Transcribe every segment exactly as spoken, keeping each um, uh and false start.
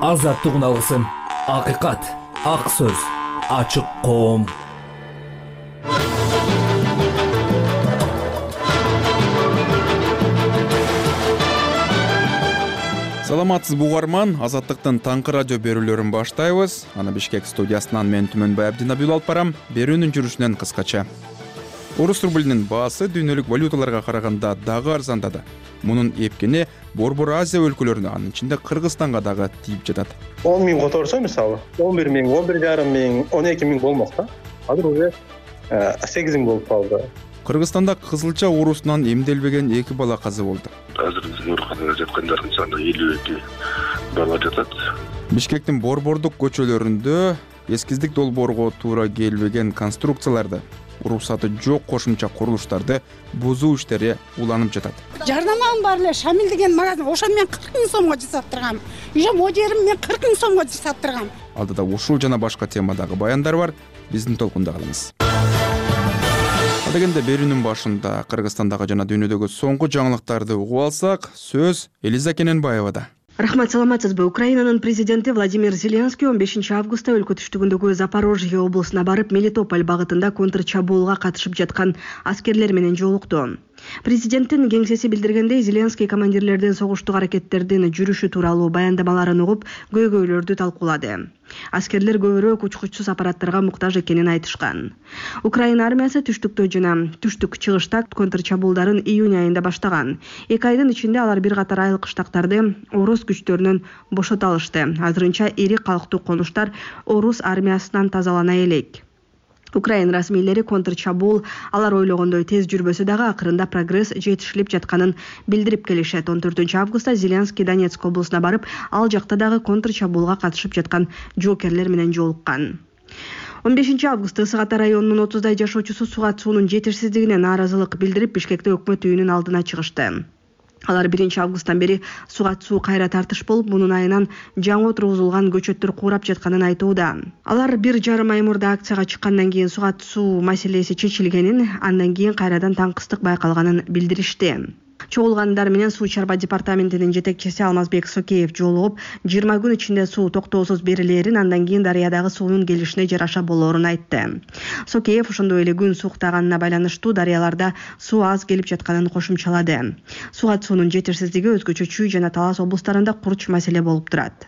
азаттык алгысым, акыйкат, ак сөз, ачык коом. Саламатсызбы угарман, Азаттыктын таңкы радио берүүлөрүн баштайбыз. Аны Бишкек студиясынан мен Түмөнбай Абдинабил алып барам. Берүүнүн жүрүшүнөн кыскача. Орус рублинин баасы дүйнөлүк валюталарга караганда дагы арзандады. Мунун эпкени Борбор Азия өлкөлөрүнө, анын ичинде Кыргызстанга дагы тийип жатат. он миң которсо, мисалы, он бир миң, он бир жарым миң, он эки миң болмок да. Азыр уже сегиз миң болуп калды. Кыргызстанда кызылча оорусунан эмделбеген эки бала каза болду. Азыр биздин ооруканада жаткандардын саны элүү эки бала жатат. Бишкектин борбордук көчөлөрүндө эскиздик долбоорго туура келбеген конструкцияларды, уруксаты жок кошумча курулуштарды бузуу иштери уланып жатат. Жарнамам бар эле, Шамил деген магазин, ошо мен кырк миң сомго жасап тургам. Уже модерим мен кырк миң сомго жасап тургам. Алдыда ушул жана башка темадагы баяндар бар. Биздин толкунда калыңыз. Дегенде берүүнүн башында Кыргызстандагы жана дүйнөдөгү соңку жаңылыктарды угуп алсак, сөз Элиза Кененбаевада. Рахмат, саламатсызбы. Украинанын президенти Владимир Зеленский он бешинчи августта өлкө түштүгүндөгү Запорожье облусуна барып, Мелитополь багытында контрчабуулга катышып жаткан аскерлер менен жолукту. Президенттин кеңсеси билдиргендей, Зеленский командирлердин согуштук аракеттердин жүрүшү тууралуу баяндамаларын угуп, көйгөйлөрдү талкуулады. Аскерлер көбүрөөк учкучсуз аппараттарга муктаж экенин айтышкан. Украина армиясы түштүктө жана түштүк чыгышта контрчабуулдарын июнь айында баштаган. Эки айдын ичинде алар бир катар айыл кыштактарды орус күчтөрүнөн бошото алышты. Азырынча ири калктуу конуштар орус армиясынан тазалана элек. Украина расмийлери контрчабуул алар ойлогондой тез жүрбөсө дагы акырында прогресс жетишилип жатканын билдирип келишет. он төртүнчү августта Зеленский Донецк облусуна барып, ал жакта дагы контрчабуулга катышып жаткан жоокерлер менен жолуккан. он бешинчи августта Ысык Ата районунун отуздай жашоочусу сугат суунун жетишсиздигине нааразылык билдирип, Бишкекте өкмөт үйүнүн алдына чыгышты. Алар биринчи августтан бери сугат суу кайра тартыш болуп, мунун айынан жаңы отургузулган көчөттөр куурап жатканын айтууда. Алар бир жарым ай мурда акцияга чыккандан кийин сугат суу маселеси чечилгенин, андан кийин кайрадан таңкыстык байкалганын билдиришти. Чогулгандар менен Суу чарба департаментинин жетекчиси Алмазбек Сокеев жолугуп, жыйырма күн ичинде суу токтоосуз берилерин, андан кийин дарыядагы суунун келишине жараша болоорун айтты. Сокеев ошондой эле күн суктаганына байланыштуу дарыяларда суу аз келип жатканын кошумчалады. Сугат суунун жетишсиздиги өзгөчө Чүй жана Талас облустарында курч маселе болуп турат.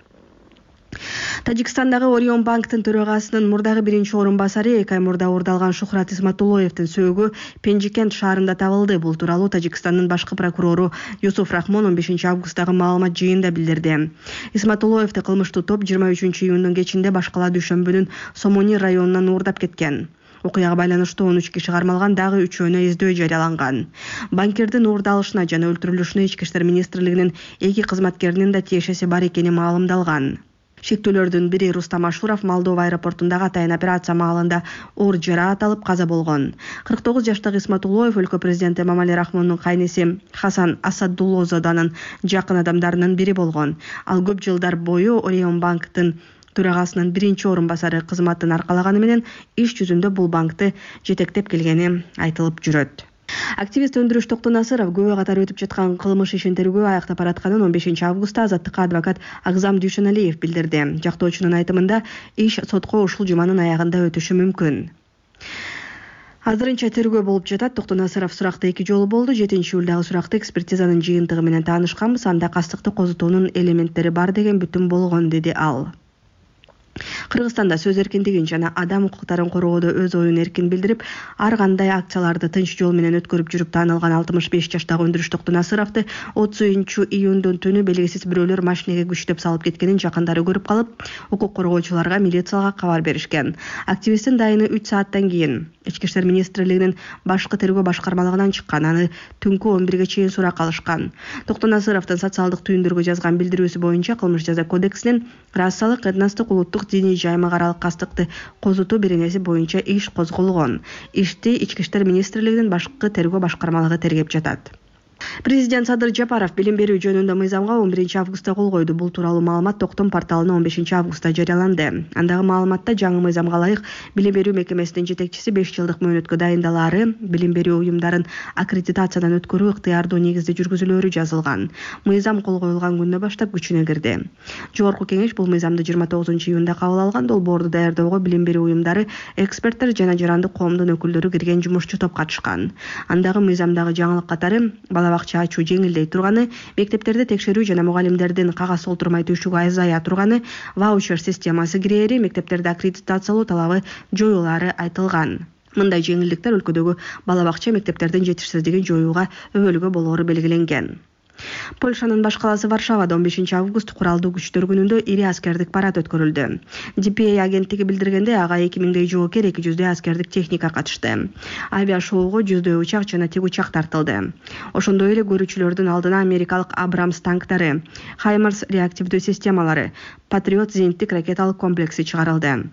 Тажикстандагы Орион банктын төрагасынын мурдагы биринчи орун басары эки ай мурда уурдалган Шухрат Исматуллоевдин сөөгү Пенжикент шаарында табылды. Бул тууралуу Тажикстандын башкы прокурору Юсуф Рахмон он бешинчи августтагы маалымат жыйынында билдирди. Исматуллоевди кылмыштуу топ жыйырма үчүнчү июндун кечинде башкала дүйшөмбүнүн Сомони районунан уурдап кеткен. Окуяга байланыштуу он үч киши кармалган, дагы үчөөнө издөө жарыяланган. Банкирдин уурдалышына жана өлтүрүлүшүнө Ички иштер министрлигинин эки кызматкеринин да тиешеси бар экени маалымдалган. Шектүүлөрдүн бири Рустам Ашуров Молдова аэропортундагы атайын операция маалында оор жараат алып каза болгон. кырк тогуз жаштагы Исматуллоев өлкө президенти Эмомали Рахмондун кайнеси Хасан Асадуллозаданын жакын адамдарынын бири болгон. Ал көп жылдар бою Орион банктын төрагасынын биринчи орун басары кызматын аркалаганы менен иш жүзүндө бул банкты жетектеп келгени айтылып жүрөт. Активист Өндүрүш Токтонасыров көбө катар өтүп жаткан кылмыш ишин тергөө аяктап баратканын он бешинчи августта Азаттыкка адвокат Агзам Дүйшөналиев билдирди. Жактоочунун айтымында иш сотко ушул жуманын аягында өтүшү мүмкүн. Азырынча тергөө болуп жатат. Токтонасыров суракта эки жолу болду. жетинчи июлдагы суракта экспертизанын жыйынтыгы менен таанышканбыз. Анда кастыкты козутуунун элементтери бар деген бүтүм болгон, деди ал. Кыргызстанда сөз эркиндигин жана адам укуктарын коргоодо өз оюн эркин билдирип, ар кандай акцияларды тынч жол менен өткөрүп жүрүп таанылган алтымыш беш жаштагы Өндүрүш Токтонасыровду отузунчу июндун түнү белгисиз бирөөлөр машинеге күчтөп салып кеткенин жакындары көрүп калып, укук коргоочуларга, милицияга кабар беришкен. Активисттин дайыны үч сааттан кийин Ички иштер министрлигинин башкы тергөө башкармалыгынан чыккан. Аны түнкү он бирге чейин сурак алышкан. Токтонасыровдун социалдык түйүндөргө жазган билдирүүсү боюнча Кылмыш жаза кодексинин расалык, этностук, улуттук, диний жаймагаралык кастыкты козутуу беренеси боюнча иш козголгон. Ишти Ички иштер министрлигинин башкы тергөө башкармалыгы тергеп жатат. Президент Садыр Жапаров билим берүү жөнүндө мыйзамга он биринчи августта кол койду. Бул тууралуу маалымат Токтом порталына он бешинчи августта жарыяланды. Андагы маалыматта жаңы мыйзамга ылайык билим берүү мекемесинин жетекчиси беш жылдык мөөнөткө дайындалаары, билим берүү уюмдарын аккредитациядан өткөрүү ыктыярдуу негизде жүргүзүлөөрү жазылган. Мыйзам кол коюлган күндөн баштап күчүнө кирди. Жогорку кеңеш бул мыйзамды жыйырма тогузунчу июнда кабыл алган. Долбоорду даярдоого билим берүү уюмдары, эксперттер жана жарандык коомдун өкүлдөрү кирген жумушчу топ катышкан. Андагы мыйзамдагы жаңылык катары бала бакча ачуу жеңилдей турганы, мектептерде текшерүү жана мугалимдердин кагаз толтурмай түшүгү азая турганы, ваучер системасы кирээри, мектептерде аккредитациялоо талабы жоюлаары айтылган. Мындай жеңилдиктер өлкөдөгү бала бакча мектептердин жетишсиздигин жоюуга өбөлгө болоору белгиленген. Польшанын баш калаасы Варшавада он бешинчи август куралдуу күчтөр күнүндө ири аскердик парад өткөрүлдү. ди пи эй агенттиги билдиргенде, ага эки миңдей жоокер, эки жүздөй аскердик техника катышты. Авиашоуго жүздөй учак жана тик учак тартылды. Ошондой эле көрүүчүлөрдүн алдына америкалык Абрамс танктары, Хаймарс реактивдүү системалары, Патриот зениттик ракеталык комплекси чыгарылды.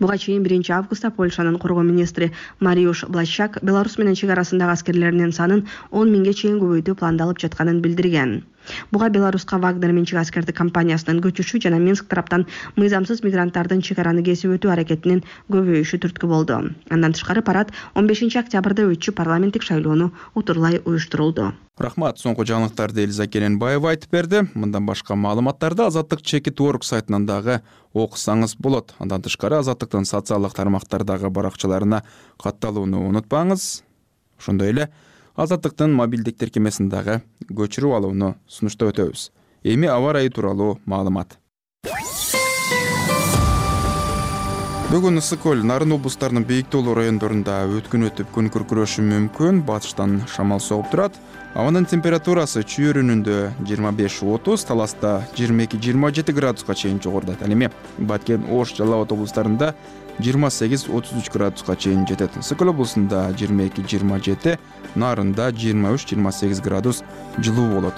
Буга чейин биринчи августта Польшанын коргоо министри Мариуш Блащак Беларусь менен чек арасындагы аскерлеринин санын он миңге чейин көбөйтүү пландалып жатканын билдирген. Буга Беларуска Вагнер менчик аскердик компаниясынын көчүшү жана Минск тараптан мыйзамсыз мигранттардын чек араны кесип өтүү аракетинин көбөйүшү түрткү болду. Андан тышкары парад он бешинчи октябрда өтчү парламенттик шайлоону утурлай уюштурулду. Рахмат. Соңку жаңылыктарды Элиза Керенбаева айтып берди. Мындан башка маалыматтарды Азаттык чекит точка орг сайтынан дагы окусаңыз болот. Андан тышкары Азаттыктын социалдык тармактардагы баракчаларына катталууну унутпаңыз. Ошондой эле Азаттыктын мобилдик тиркемесин дагы көчүрүп алууну сунуштап өтөбүз. Эми аба ырайы тууралуу маалымат. Бүгүн ысык көл, Нарын облустарынын бийик тоолуу райондорунда өткүн өтүп күн күркүрөшү мүмкүн. Батыштан шамал согуп турат. Абанын температурасы чүйөрүнүндө жыйырма беш отуз, Таласта жыйырма эки жыйырма жети градуска чейин жогорудат. Ал эми Баткен, Ош, Жалал Абад облустарында жыйырма сегиз отуз үч градуска чейин жетет. Ысык көл облусунда жыйырма эки жыйырма жети, Нарында жыйырма үч жыйырма сегиз градус жылуу болот.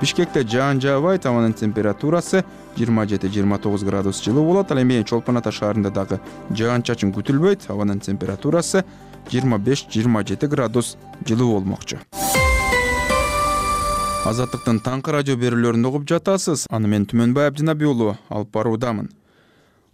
Бишкекте жаан жаабайт, абанын температурасы жыйырма жети жыйырма тогуз градус жылуу болот. Ал эми Чолпон Ата шаарында дагы жаан чачын күтүлбөйт, абанын температурасы жыйырма беш жыйырма жети градус жылуу болмокчу. Азаттыктын таңкы радио берүүлөрүн угуп жатасыз. Аны мен Түмөнбай Абдинаби уулу алып баруудамын.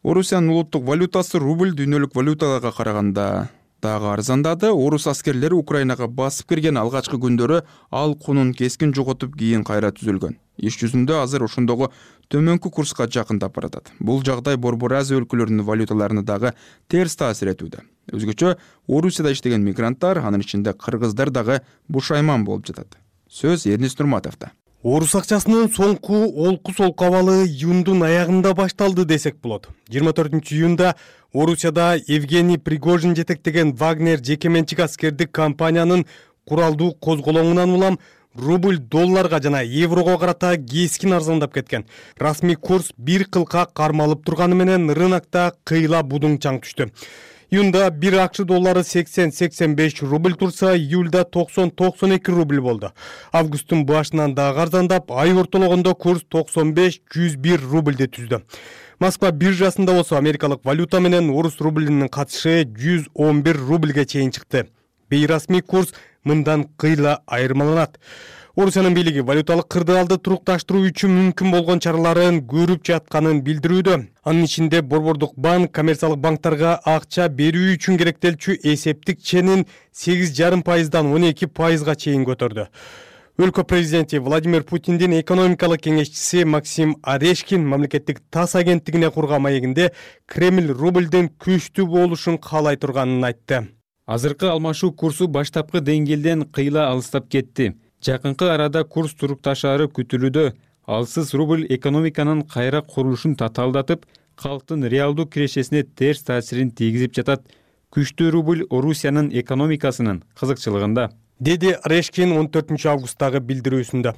Орусиянын улуттук валютасы рубль дүйнөлүк валюталарга караганда дагы арзандады. Орус аскерлери Украинага басып кирген алгачкы күндөрү ал кунун кескин жоготуп, кийин кайра түзүлгөн. Иш жүзүндө азыр ошондогу төмөнкү курска жакындап баратат. Бул жагдай Борбор Азия өлкөлөрүнүн валюталарына дагы терс таасир этүүдө. Өзгөчө Орусияда иштеген мигранттар, анын ичинде кыргыздар дагы бушайман болуп жатат. Сөз Эрнис Нурматовдо. Орус акчасынын соңку олку солку абалы июндун аягында башталды десек болот. жыйырма төртүнчү июнда Орусияда Евгений Пригожин жетектеген Вагнер жеке менчик аскердик компаниянын куралдуу козголоңунан улам рубль долларга жана еврого карата кескин арзандап кеткен. Расмий курс бир кылка кармалып турганы менен рынокто кыйла будуң чаң түштү. Июнда бир акш доллары сексен сексен беш рубль турса, июльда токсон токсон эки рубль болду. Августтун башынан дагы арзандап, ай ортологондо курс токсон беш жүз бир рубльди түздү. Москва биржасында болсо америкалык валюта менен орус рублинин катышы жүз он бир рубльге чейин чыкты. Бейрасмий курс мындан кыйла айырмаланат. Орусиянын бийлиги валюталык кырдаалды турукташтыруу үчүн мүмкүн болгон чараларын көрүп жатканын билдирүүдө. Анын ичинде Борбордук банк коммерциялык банктарга акча берүү үчүн керектелчү эсептик ченин сегиз жарым пайыздан он эки пайызга чейин көтөрдү. Өлкө президенти Владимир Путиндин экономикалык кеңешчиси Максим Орешкин мамлекеттик ТАСС агенттигине курган маегинде Кремль рубльдин күчтүү болушун каалай турганын айтты. Азыркы алмашуу курсу баштапкы деңгээлден кыйла алыстап кетти. Жакынкы арада курс турукташаары күтүлүүдө. Алсыз рубль экономиканын кайра курулушун татаалдатып, калктын реалдуу кирешесине терс таасирин тийгизип жатат. Күчтүү рубль Орусиянын экономикасынын кызыкчылыгында, деди Орешкин он төртүнчү августтагы билдирүүсүндө.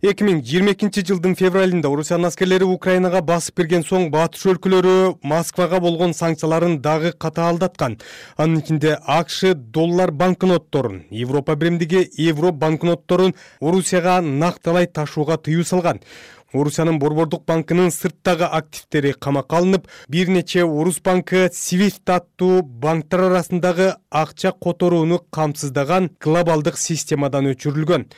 эки миң жыйырма экинчи жылдын февралында Орусиянын аскерлери Украинага басып кирген соң батыш өлкөлөрү Москвага болгон санкцияларын дагы катаалдаткан. Анын ичинде АКШ доллар банкнотторун, Европа биримдиги евро банкнотторун Орусияга накталай ташууга тыюу салган. Орусиянын Борбордук банкынын сырттагы активдери камакка алынып, бир нече Орус банкы Свифт аттуу банктар арасындагы акча которууну камсыздаган глобалдык системадан өчүрүлгөн.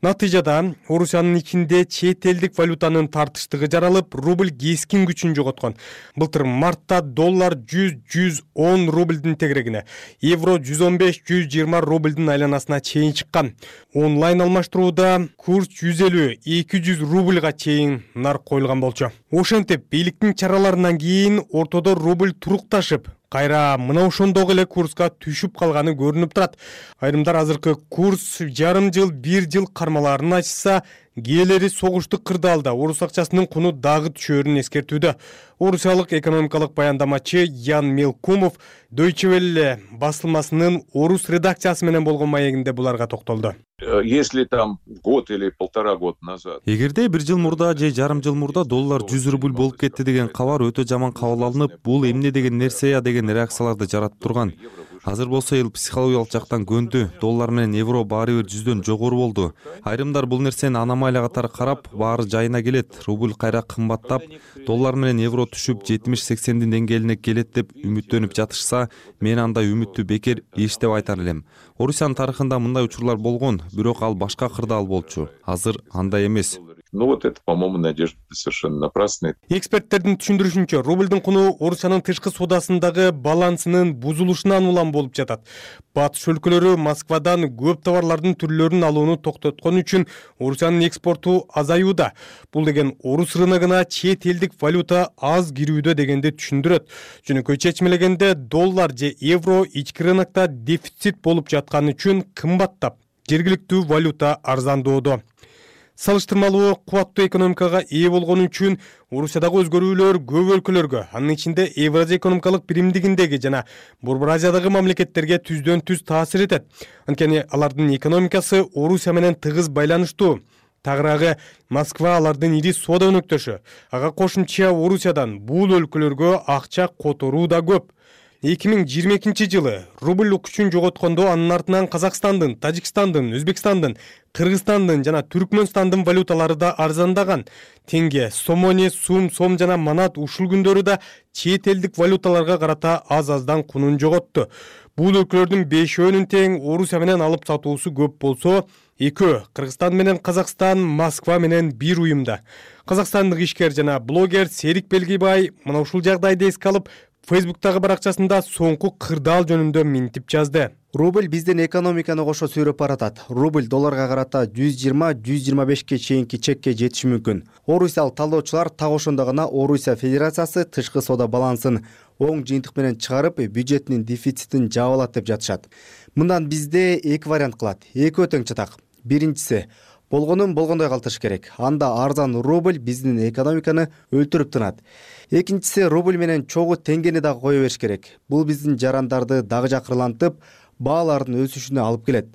Натыйжада Орусиянын ичинде чет элдик валютанын тартыштыгы жаралып, рубль кескин күчүн жоготкон. Былтыр мартта доллар жүз жүз он рубльдин тегерегине, евро жүз он беш жүз жыйырма рубльдин айланасына чейин чыккан. Онлайн алмаштырууда курс жүз элүү эки жүз рубльга чейин нарк коюлган болчу. Ошентип, бийликтин чараларынан кийин ортодо рубль турукташып, кайра мына ошондогу эле курска түшүп калганы көрүнүп турат. Айрымдар азыркы курс жарым жыл, бир жыл кармаларын ачса, кээлери согуштук кырдаалда орус акчасынын куну дагы түшөөрүн эскертүүдө. Орусиялык экономикалык баяндамачы Ян Мелкумов Deutsche Welle басылмасынын орус редакциясы менен болгон маегинде буларга токтолду. Если там год или полтора года назад. Эгерде бир жыл мурда же жарым жыл мурда доллар жүз рубль болуп кетти деген кабар өтө жаман кабыл алынып, бул эмне деген нерсе я деген реакцияларды жаратып турган. Азыр болсо эл психологиялык жактан көндү. Доллар менен евро баары бир жүздөн жогору болду. Айрымдар бул нерсени аномалия катары карап, баары жайына келет. Рубль кайра кымбаттап, доллар менен евро түшүп жетимиш сексендин деңгээлине келет деп үмүттөнүп жатышса, мен андай үмүттү бекер иш деп айтар элем. Орусиянын тарыхында мындай учурлар болгон, бирок ал башка кырдаал болчу. Азыр андай эмес. Ну вот это, по-моему, надежда совершенно напрасная. Эксперттердин түшүндүрүшүнчө, рубльдин куну Орусиянын тышкы соодасындагы балансынын бузулушунан улам болуп жатат. Батыш өлкөлөрү Москвадан көп товарлардын түрлөрүн алууну токтоткон үчүн Орусиянын экспорту азаюуда. Бул деген орус рыногуна чет элдик валюта аз кирүүдө дегенди түшүндүрөт. Жөнөкөй чечмелегенде доллар же евро ички рынокто дефицит болуп жатканы үчүн кымбаттап, жергиликтүү валюта арзандоодо. Салыштырмалуу кубаттуу экономикага ээ болгону үчүн Орусиядагы өзгөрүүлөр көп өлкөлөргө, анын ичинде Евразия экономикалык биримдигиндеги жана Борбор Азиядагы мамлекеттерге түздөн түз таасир этет. Анткени алардын экономикасы Орусия менен тыгыз байланыштуу. Тагыраагы Москва алардын ири соода өнөктөшү. Ага кошумча Орусиядан бул өлкөлөргө акча которуу да көп. эки миң жыйырма экинчи жылы рубль күчүн жоготкондо анын артынан Казакстандын, Тажикстандын, Өзбекстандын, Кыргызстандын жана Түркмөнстандын валюталары да арзандаган. Тенге, сомони, сум, сом жана манат ушул күндөрү да чет элдик валюталарга карата аз-аздан кунун жоготту. Бул өлкөлөрдүн бешөөнүн тең Орусия менен алып сатуусу көп болсо, экөө Кыргызстан менен Казакстан Москва менен бир уюмда. Казакстандык ишкер жана блогер Серик Белгибай мына ушул жагдайды эске алып, Фейсбуктагы баракчасында соңку кырдаал жөнүндө минтип жазды. Рубль биздин экономиканы кошо сүйрөп баратат. Рубль долларга карата жүз жыйырма жүз жыйырма бешке чейинки чекке жетиши мүмкүн. Орусиялык талдоочулар так ошондо гана Орусия Федерациясы тышкы соода балансын оң жыйынтык менен чыгарып, бюджетинин дефицитин жаап алат деп жатышат. Мындан бизде эки вариант кылат. Экөө тең чатак. Биринчиси, болгонун болгондой калтырыш керек. Анда арзан рубль биздин экономиканы өлтүрүп тынат. Экинчиси, рубль менен чогуу теңгени дагы кое бериш керек. Бул биздин жарандарды дагы жакырлантып, баалардын өсүшүнө алып келет.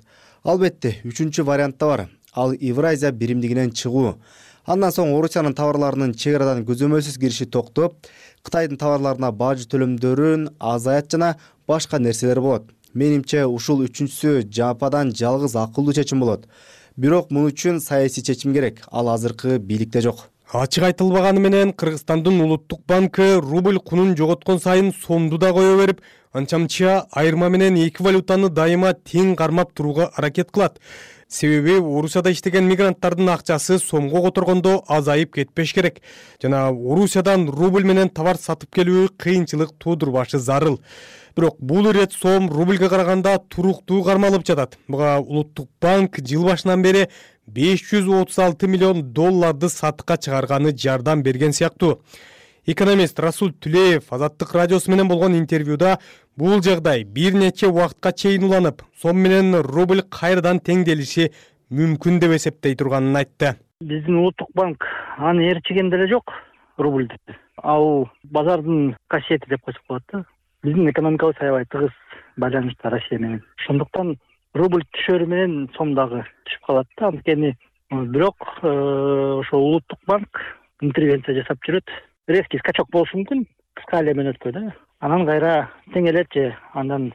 Албетте, үчүнчү вариант да бар. Ал Евразия биримдигинен чыгуу. Андан соң Орусиянын товарларынын чек арадан көзөмөлсүз кириши токтоп, Кытайдын товарларына бажы төлөмдөрүн азаят жана башка нерселер болот. Менимче, ушул үчүнчүсү жападан жалгыз акылдуу чечим болот. Бирок мун үчүн саясий чечим керек. Ал азыркы бийликте жок. Ачык айтылбаганы менен Кыргызстандын улуттук банкы рубль кунун жоготкон сайын сомду да кое берип, анча-мынча айырма менен эки валютаны дайыма тең кармап турууга аракет кылат. Себеби Орусияда иштеген мигранттардын акчасы сомго которгондо азайып кетпеш керек. Жана Орусиядан рубль менен товар сатып келүү кыйынчылык туудурбашы зарыл. Бирок бул ирет сом рубльге караганда туруктуу кармалып жатат. Буга улуттук банк жыл башынан бери беш жүз отуз алты миллион долларды сатыкка чыгарганы жардам берген сыяктуу. Экономист Расул Түлеев Азаттык радиосу менен болгон интервьюда бул жагдай бир нече убакытка чейин уланып, сом менен рубль кайрадан теңделиши мүмкүн деп эсептей турганын айтты. Биздин улуттук банк аны ээрчиген деле жок рубльди. Ал базардын касиети деп койсок болот да. Биздин экономикабыз аябай тыгыз байланышта Россия менен. Ошондуктан рубль түшөрү менен сом дагы түшүп калат да. Анткени бирок ошо улуттук банк интервенция жасап жүрөт. Резкий скачок болушу мүмкүн, кыска эле мөөнөткө да. Анан кайра теңелет же андан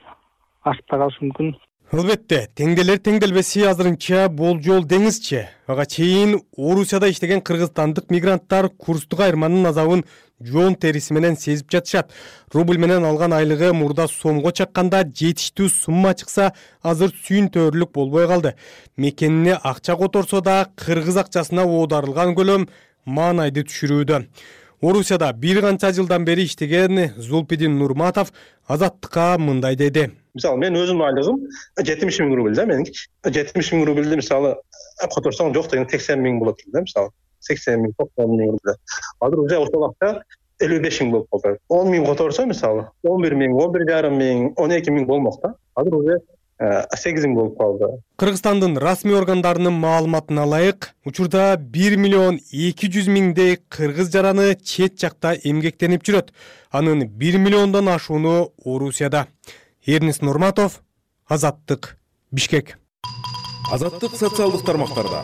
ашып да калышы мүмкүн. Албетте, теңделер теңделбеси азырынча болжол деңизчи. Ага чейин Орусияда иштеген кыргызстандык мигранттар курстук айырманын азабын жоон териси менен сезип жатышат. Рубль менен алган айлыгы мурда сомго чакканда жетиштүү сумма чыкса, азыр сүйүнтөөрлүк болбой калды. Мекенине акча которсо да кыргыз акчасына оодарылган көлөм маанайды түшүрүүдө. Орусияда бир канча жылдан бери иштеген Зулпидин Нурматов Азаттыкка мындай деди. Мисалы, мен өзүмдүн айлыгым жетимиш миң рубль да меники. жетимиш миң рубльди мисалы которсоң жок деген сексен миң болот да мисалы. сексен миң, токсон миң рубль. Азыр уже ошол акча элүү беш миң болуп калды. он миң которсо мисалы он бир миң, он бир жарым миң, он эки миң болмок да. Азыр уже сегиз миң болуп калды. Кыргызстандын расмий органдарынын маалыматына ылайык, учурда бир миллион эки жүз миңдей кыргыз жараны чет жакта эмгектенип жүрөт. Анын бир миллиондон ашууну Орусияда. Эрнис Нурматов, Азаттык, Бишкек. Азаттык социалдык тармактарда.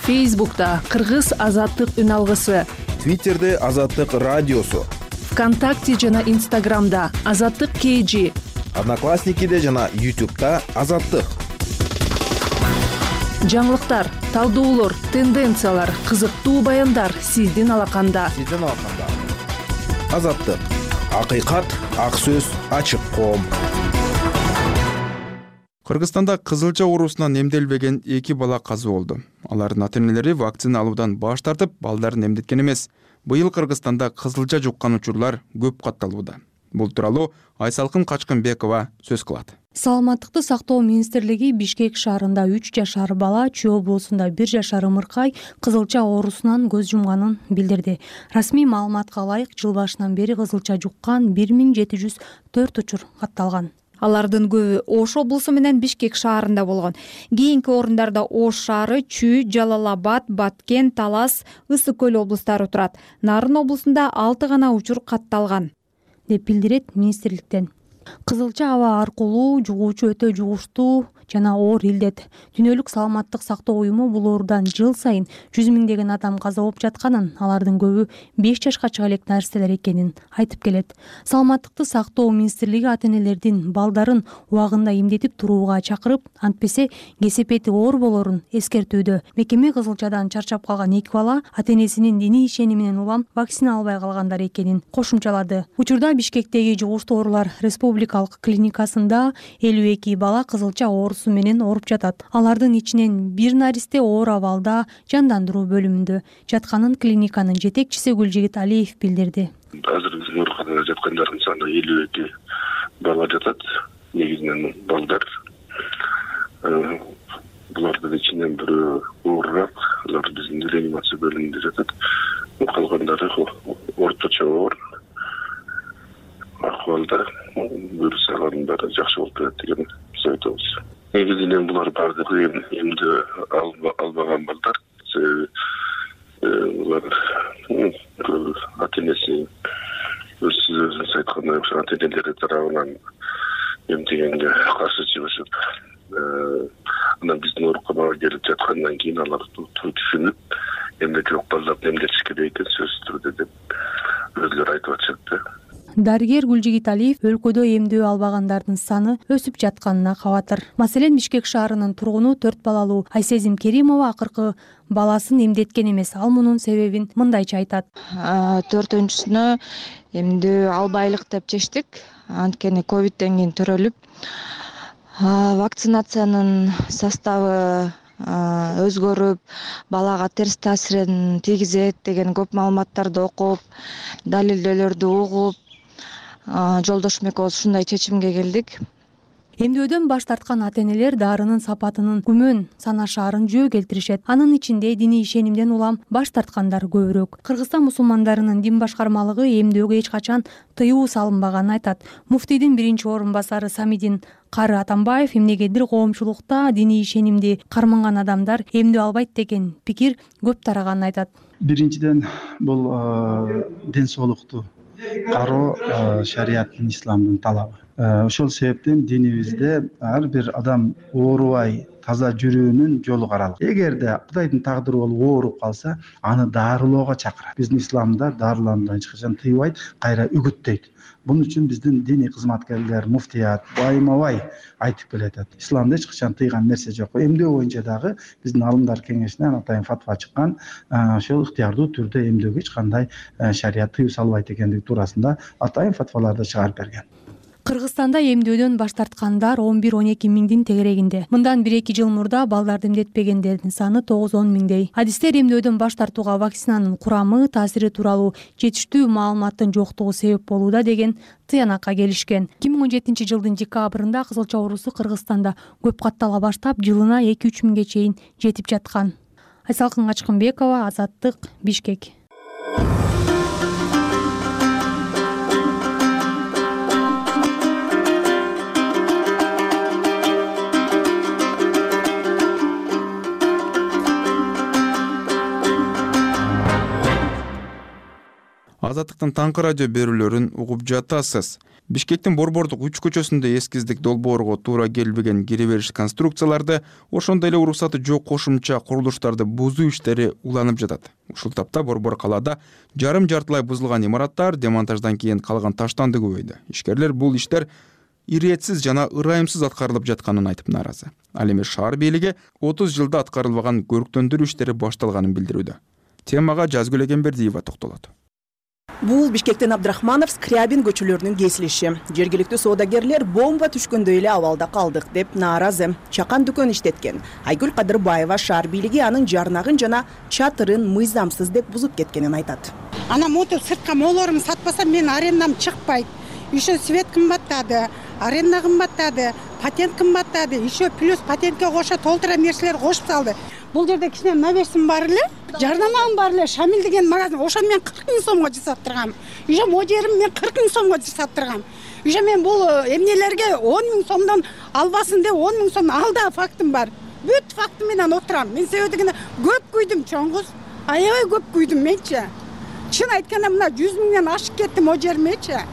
Фейсбукта Кыргыз Азаттык үн алгысы. Твиттерде Азаттык радиосу. ВКонтакте жана Инстаграмда Азаттык кей жи. Одноклассникиде жана Ютубта Азаттык. Жаңылыктар, талдоолор, тенденциялар, кызыктуу баяндар сиздин алаканда. Сиздин алаканда. Азаттык. Акыйкат, ак сөз, ачык коом. Кыргызстанда кызылча оорусунан эмделбеген эки бала каза болду. Алардын ата-энелери вакцина алуудан баш тартып, балдарын эмдеткен эмес. Быйыл Кыргызстанда кызылча жуккан учурлар көп катталууда. Бул тууралуу Айсалкын Качкынбекова сөз кылат. Саламаттыкты сактоо министрлиги Бишкек шаарында үч жашар бала, Чүй облусунда бир жашар ымыркай кызылча оорусунан көз жумганын билдирди. Расмий маалыматка ылайык, жыл башынан бери кызылча жуккан бир миң жети жүз төрт учур катталган. Алардын көбү Ош облусу менен Бишкек шаарында болгон. Кийинки орундарда Ош шаары, Чүй, Жалал-Абад, Баткен, Талас, Ысык көл облустары турат. Нарын облусунда алты гана учур катталган, деп билдирет министрликтен. Кызылча аба аркылуу жугуучу өтө жугуштуу жана оор илдет. Дүйнөлүк саламаттык сактоо уюму бул оорудан жыл сайын жүз миңдеген адам каза болуп жатканын, алардын көбү беш жашка чыга элек нарселер экенин айтып келет. Саламаттыкты сактоо министрлиги ата-энелердин балдарын убагында эмдетип турууга чакырып, антпесе кесепети оор болорун эскертүүдө. Мекеме кызылчадан чарчап калган эки бала ата-энесинин диний ишениминен улам вакцина албай калгандар экенин кошумчалады. Учурда Бишкектеги жугуштуу оорулар республикалык клиникасында элүү эки бала кызылча оорусу менен ооруп жатат. Алардын ичинен бир наристе оор абалда жандандыруу бөлүмүндө жатканын клиниканын жетекчиси Гүлжигит Алиев билдирди. Азыр биздин ооруканада жаткандардын саны элүү эки бала жатат. Негизинен балдар. Булардын ичинен бирөө оорураак, алар биздин реанимация бөлүмүндө жатат. Калгандары орточо оор акыбалда, вирус алгандары жакшы болуп келет деген айтабыз. Негизинен булар баардыгы эмди албаган балдар. Булар ата-энеси өзсүз өзүнүз айткандай ата-энелери тарабынан эмдегенге каршы чыгышып, анан биздин ооруканага келип жаткандан кийин алар түшүнүп, эмне жок балдарды эмдетиш керек экен сөзсүз түрдө деп өзүлөрү айтып атышат. Дарыгер Гүлжигит Алиев өлкөдө эмдөө албагандардын саны өсүп жатканына кабатыр. Маселен, Бишкек шаарынын тургуну төрт балалуу Айсезим Керимова акыркы баласын эмдеткен эмес. Ал мунун себебин мындайча айтат. Төртүнчүсүнө эмдөө албайлык деп чечтик. Анткени ковидтен кийин төрөлүп, вакцинациянын составы өзгөрүп, балага терс таасирин тийгизет деген көп маалыматтарды окуп, далилдөөлөрдү угуп, Жолдошум экөөбүз ушундай чечимге келдик. Эмдөөдөн баш тарткан ата-энелер дарынын сапатынын күмөн санашаарын жөө келтиришет. Анын ичинде диний ишенимден улам баш тарткандар көбүрөөк. Кыргызстан мусулмандарынын дин башкармалыгы эмдөөгө эч качан тыюу салынбаганын айтат. Муфтийдин биринчи орун басары Самидин Кары Атамбаев эмнегедир коомчулукта диний ишенимди карманган адамдар эмдөө албайт деген пикир көп тараганын айтат. Биринчиден бул ден соолукту кароо шариаттын, исламдын талабы. Ошол себептен динибизде ар бир адам оорубай таза жүрүүнүн жолу каралган. Эгерде Кудайдын тагдыры болуп ооруп калса, аны дарылоого чакырат. Биздин исламда дарылануудан эч качан тыйбайт, кайра үгүттөйт. Бунун үчүн биздин диний кызматкерлер, муфтият байма-бай айтып келатат. Исламда эч качан тыйган нерсе жок. Эмдөө боюнча дагы биздин алымдар кеңешинен атайын фатва чыккан, ошол ыктыярдуу түрдө эмдөөгө эч кандай шарият тыюу салбайт экендиги туурасында атайын фатваларды чыгарып берген. Кыргызстанда эмдөөдөн баш тарткандар он бир он эки миңдин тегерегинде. Мындан бир эки жыл мурда балдарды эмдетпегендердин саны тогуз он миңдей. Адистер эмдөөдөн баш тартууга вакцинанын курамы, таасири тууралуу жетиштүү маалыматтын жоктугу себеп болууда деген тыянакка келишкен. эки миң он жетинчи жылдын декабрында кызылча оорусу Кыргызстанда көп каттала баштап, жылына эки үч миңге чейин жетип жаткан. Айсалкын Качкынбекова, Азаттык, Бишкек. Азаттыктын таңкы радио берүүлөрүн угуп жатасыз. Бишкектин Борбордук үч көчөсүндө эскиздик долбоорго туура келбеген кире бериш конструкцияларды, ошондой эле уруксаты жок кошумча курулуштарды бузуу иштери уланып жатат. Ушул тапта Борбор калаада жарым жартылай бузулган имараттар демонтаждан кийин калган таштанды көбөйдү. Ишкерлер бул иштер иретсиз жана ырайымсыз аткарылып жатканын айтып нааразы. Ал эми шаар бийлиги отуз жылда аткарылбаган көрктөндүрүү иштери башталганын билдирүүдө. Темага Жазгүл Эгембердиева токтолот. Бул Бишкектен Абдрахманов, Скрябин көчөлөрүнүн кесилиши. Жергиликтүү соодагерлер бомба түшкөндөй эле абалда калдык деп нааразы. Чакан дүкөн иштеткен. Айгүл Кадырбаева шаар бийлиги анын жарнагын жана чатырын мыйзамсыз деп бузуп кеткенин айтат. Ана мотор сыртка молорум сатпасам мен арендам чыкпайт. Еще свет кымбаттады, аренда кымбаттады, патент кымбаттады, еще плюс патентке кошо толтура нерселер кошуп салды. Бул жерде кичине навесим бар эле, жарнамам бар эле, Шамил деген магазин, ошо мен кырк миң сомго жасап тургам. Еще модерим мен кырк миң сомго жасап тургам. Еще мен бул эмнелерге он миң сомдон албасын деп он миң сом алда фактым бар. Бүт фактым менен отурам. Мен себеби дегенде көп күйдүм чоңгуз. Аябай көп күйдүм менчи. Чын айтканда мына жүз миңден ашып кетти модермечи.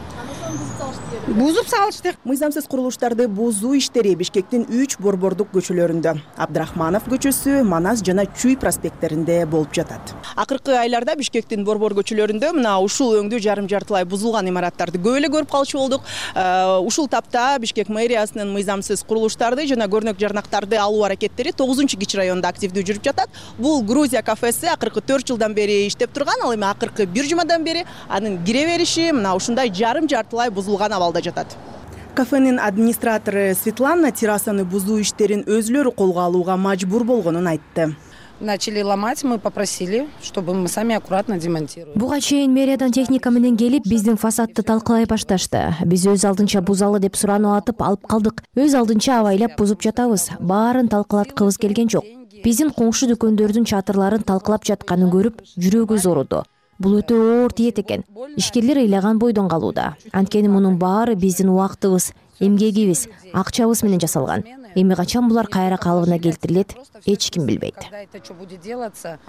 Бузуп салышты. Мыйзамсыз курулуштарды бузуу иштери Бишкектин үч борбордук көчөлөрүндө, Абдрахманов көчөсү, Манас жана Чүй проспекттеринде болуп жатат. Акыркы айларда Бишкектин борбор көчөлөрүндө мына ушул өңдүү жарым жартылай бузулган имараттарды көп эле көрүп калчу болдук. Ушул тапта Бишкек мэриясынын мыйзамсыз курулуштарды жана көрнөк жарнактарды алуу аракеттери тогузунчу кичи районунда активдүү жүрүп жатат. Бул Грузия кафеси акыркы төрт жылдан бери иштеп турган, ал эми акыркы бир жумадан бери анын кире бериши мына ушундай жарым жартылай бузулган абалда жатат. Кафенин администратору Светлана террасаны бузуу иштерин өзлөрү колго алууга мажбур болгонун айтты. Начали ломать, мы попросили, чтобы мы сами аккуратно демонтировали. Буга чейин мэриядан техника менен келип, биздин фасадты талкалай башташты. Биз өз алдынча бузалы деп сурануу атып алып калдык. Өз алдынча абайлап бузуп жатабыз. Баарын талкалаткыбыз келген жок. Биздин коңшу дүкөндөрдүн чатырларын талкалап жатканын көрүп, жүрөгүбүз ооруду. Бул өтө оор тиет экен. Ишкерлер ыйлаган бойдон калууда. Анткени мунун баары биздин убактыбыз, эмгегибиз, акчабыз менен жасалган. Эми качан булар кайра калыбына келтирилет, эч ким билбейт.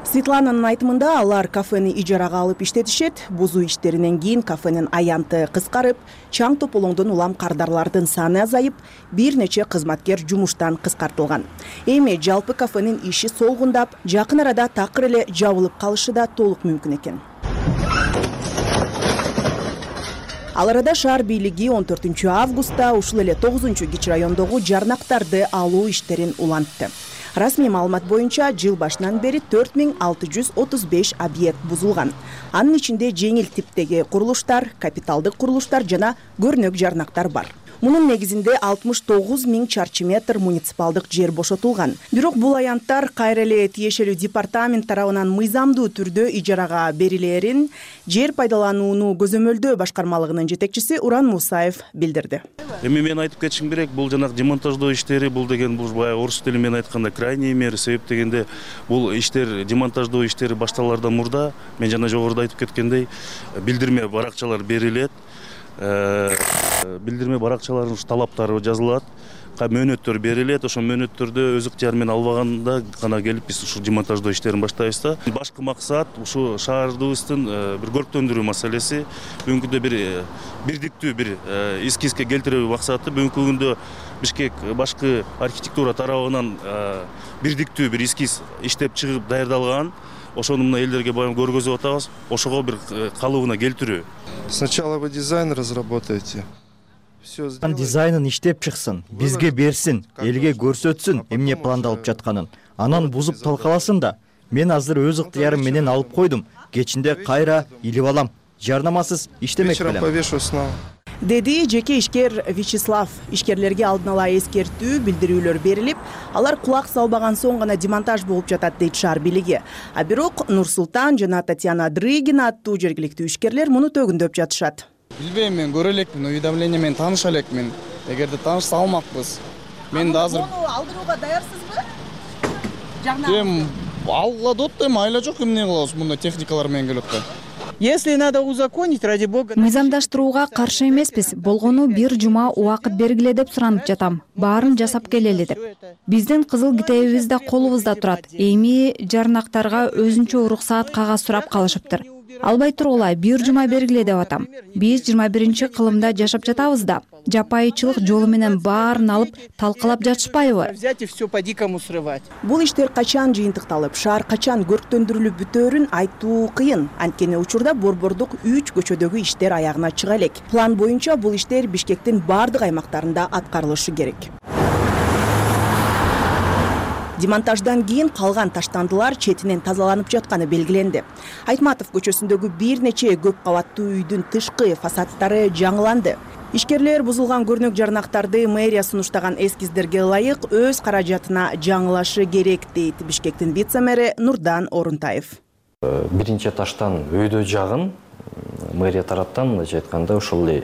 Светлананын айтымында алар кафени ижарага алып иштетишет. Бузуу иштеринен кийин кафенин аянты кыскарып, чаң тополоңдон улам кардарлардын саны азайып, бир нече кызматкер жумуштан кыскартылган. Эми жалпы кафенин иши солгундап, жакын арада такыр эле жабылып калышы да толук мүмкүн экен. Ал арада шаар бийлиги он төртүнчү августта ушул эле тогузунчу кичи райондогу жарнактарды алуу иштерин улантты. Расмий маалымат боюнча жыл башынан бери төрт миң алты жүз отуз беш объект бузулган. Анын ичинде жеңил типтеги курулуштар, капиталдык курулуштар жана көрнөк жарнактар бар. Мунун негизинде алтымыш тогуз миң чарчы метр муниципалдык жер бошотулган. Бирок бул аянттар кайра эле тиешелүү департамент тарабынан мыйзамдуу түрдө ижарага берилерин жер пайдаланууну көзөмөлдөө башкармалыгынын жетекчиси Уран Мусаев билдирди. Эми мен айтып кетишим керек, бул жанагы демонтаждоо иштери, бул деген бул баягы орус тили менен айтканда крайний мера, себеп дегенде бул иштер, демонтаждоо иштери башталаардан мурда, мен жана жогоруда айтып кеткендей, билдирме баракчалар берилет. Билдирме баракчаларынын талаптары жазылат, мөөнөттөр берилет. Ошол мөөнөттөрдө өз ыктыяры менен албаганда гана келип биз ушул демонтаждоо иштерин баштайбыз да. Башкы максат ушу шаарыбыздын бир көрктөндүрүү маселеси. Бүгүнкү күндө бир бирдиктүү бир эскизге келтирүү максаты. Бүгүнкү күндө Бишкек башкы архитектура тарабынан бирдиктүү бир эскиз иштеп чыгып даярдалган. Ошону мына элдерге баягы көргөзүп атабыз. Ошого бир калыбына келтирүү. Сначала вы дизайн разработаете. Дизайнын иштеп чыксын, бизге берсин, элге көрсөтсүн эмне пландалып жатканын. Анан бузуп талкаласын да. Мен азыр өз ыктыярым менен алып койдум. Кечинде кайра илип алам. Жарнамасыз иштемек белем. Деди жеке ишкер Вячеслав. Ишкерлерге алдын ала эскертүү, билдирүүлөр берилип, алар кулак салбаган соң гана демонтаж болуп жатат дейт шаар бийлиги. А бирок Нурсултан жана Татьяна Дрыгина аттуу жергиликтүү ишкерлер муну төгүндөп жатышат. Билбейм, мен көрө элекмин, уведомление менен тааныша элекмин. Эгерде таанышса алмакпыз. Мен да азыр Муну алдырууга даярсызбы? Эм, алла дот эми айла жок, эмне кылабыз, мындай техникалар менен келип атат. Если надо узаконить, ради бога. Мыйзамдаштырууга каршы эмеспиз. Болгону бир жума убакыт бергиле деп суранып жатам. Баарын жасап келели деп. Биздин кызыл китебибиз да колубузда турат. Эми жарнактарга өзүнчө уруксаат кагаз сурап калышыптыр. Албай тургула бир жума бергиле деп атам. Биз жыйырма биринчи кылымда жашап жатабыз да. Жапайычылык жолу менен баарын алып талкалап жатышпайбы? Взять и все по дикому срывать. Бул иштер качан жыйынтыкталып, шаар качан көрктөндүрүлүп бүтөөрүн айтуу кыйын. Анткени учурда борбордук үч көчөдөгү иштер аягына чыга элек. План боюнча бул иштер Бишкектин бардык аймактарында аткарылышы керек. Демонтаждан кийин калган таштандылар четинен тазаланып жатканы белгиленди. Айтматов көчөсүндөгү бир нече көп кабаттуу үйдүн тышкы фасадтары жаңыланды. Ишкерлер бузулган көрнөк жарнактарды мэрия сунуштаган эскиздерге ылайык өз каражатына жаңылашы керек дейт Бишкектин вице-мэри Нурдан Орунтаев. Биринчи таштан өйдө жагын мэрия тараптан мындайча айтканда ошол эле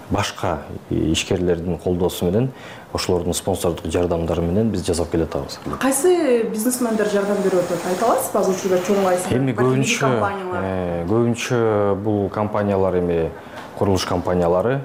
башка ишкерлердин колдоосу менен ошолордун спонсордук жардамдары менен биз жасап келатабыз. Кайсы бизнесмендер жардам берип атат? Айта аласызбы? Азыр учурда чоң кайсы? Эми көбүнчө көбүнчө бул компаниялар эми курулуш компаниялары,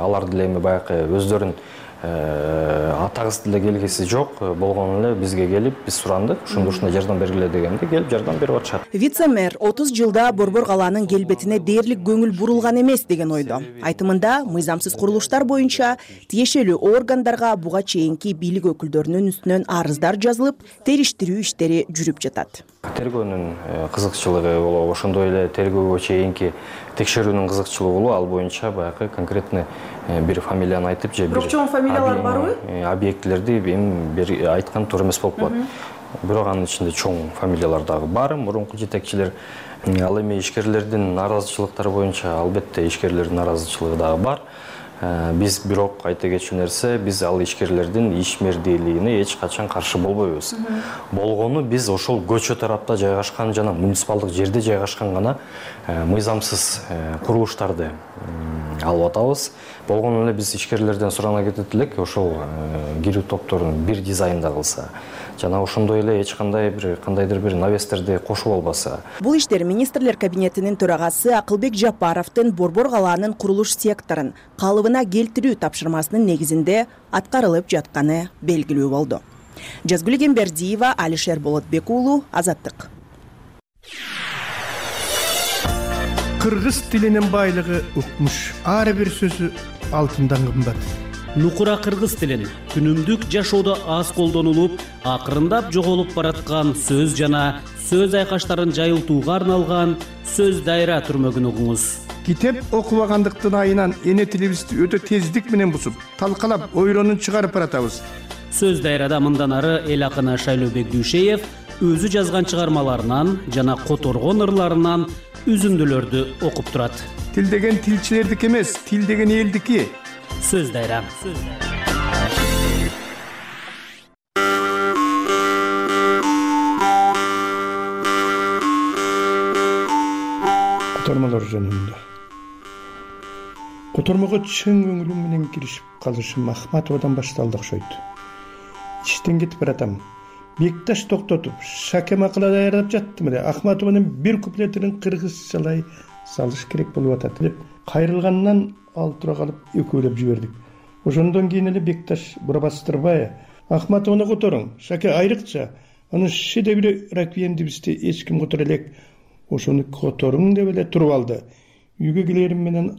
алар деле эми баягы өздөрүн атагыс деле келгиси жок болгону эле бизге келип, биз сурандык, ушундай ушундай жардам бергиле дегенде келип жардам берип атышат. Вице-мэр отуз жылда Борбор калаанын келбетине дээрлик көңүл бурулган эмес деген ойдо. Айтымында мыйзамсыз курулуштар боюнча тиешелүү органдарга буга чейинки бийлик өкүлдөрүнүн үстүнөн арыздар жазылып, териштирүү иштери жүрүп жатат. Тергөөнүн кызыкчылыгы болобу, ошондой эле тергөөгө чейинки текшерүүнүн кызыкчылыгы болобу, ал боюнча баягы конкретный бир фамилияны айтып же бир чоң фамилиялар барбы? Объектилерди эми айткан туура эмес болуп калат. Бирок анын ичинде чоң фамилиялар дагы бар, мурунку жетекчилер. Ал эми ишкерлердин наразычылыктары боюнча албетте ишкерлердин наразычылыгы дагы бар. Биз бирок айта кетчү нерсе, биз ал ишкерлердин ишмердүүлүгүнө эч качан каршы болбойбуз. Болгону биз ошол көчө тарапта жайгашкан жана муниципалдык жерде жайгашкан гана мыйзамсыз курулуштарды алып атабыз. Болгону эле биз ишкерлерден сурана кетет элек, ошол кирүү топторун бир дизайнда кылса, жана ошондой эле эч кандай бир кандайдыр бир навестерди кошуп албаса. Бул иштер министрлер кабинетинин төрагасы Акылбек Жапаровдун Борбор калаанын курулуш секторун калыбына келтирүү тапшырмасынын негизинде аткарылып жатканы белгилүү болду. Жазгүл Гембердиева, Алишер Болотбек уулу, Азаттык. Кыргыз тилинин байлыгы укмуш. Ар бир сөзү алтындан кымбат. Нукура кыргыз тилин күнүмдүк жашоодо аз колдонулуп, акырындап жоголуп бараткан сөз жана сөз айкаштарын жайылтууга арналган сөз дайра түрмөгүн угуңуз. Китеп окубагандыктын айынан эне тилибизди өтө тездик менен бузуп, талкалап, ойронун чыгарып баратабыз. Сөз дайрада мындан ары эл акыны Шайлообек Дүйшеев өзү жазган чыгармаларынан жана которгон ырларынан үзүндүлөрдү окуп турат. Тил деген тилчилердики эмес, тил деген элдики. Сөз дайра. Котормолор жөнүндө. Котормого чын көңүлүм менен киришип калышым Ахматовадан башталды окшойт. Иштен кетип баратам. Бекташ токтотуп, шаке макала даярдап жаттым эле. Ахматованын бир куплетин кыргызчалай салыш керек болуп атат деп кайрылгандан ал тура калып экөөлөп жибердик. ошондон кийин эле Бекташ Бурабастырбай Ахматовну которуң, Шаке айрыкча анын шедеври реквиемдибизди эч ким которо элек, ошону которуң деп эле туруп алды. Үйгө келерим менен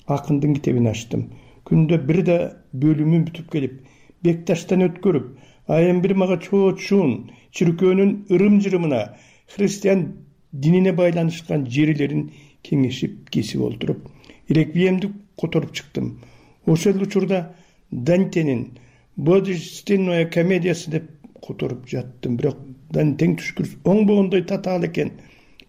акындын китебин ачтым. Күндө бир да бөлүмүн бүтүп келип, Бекташтан өткөрүп, айым бир мага чоочун чиркөөнүн ырым-жырымына, христиан динине байланышкан жерлерин кеңешип кесип олтуруп, реквиемди которуп чыктым. Ошол учурда Дантенин Божественная комедиясы деп которуп жаттым, бирок Дантен түшкүрүс оңбогондой татаал экен.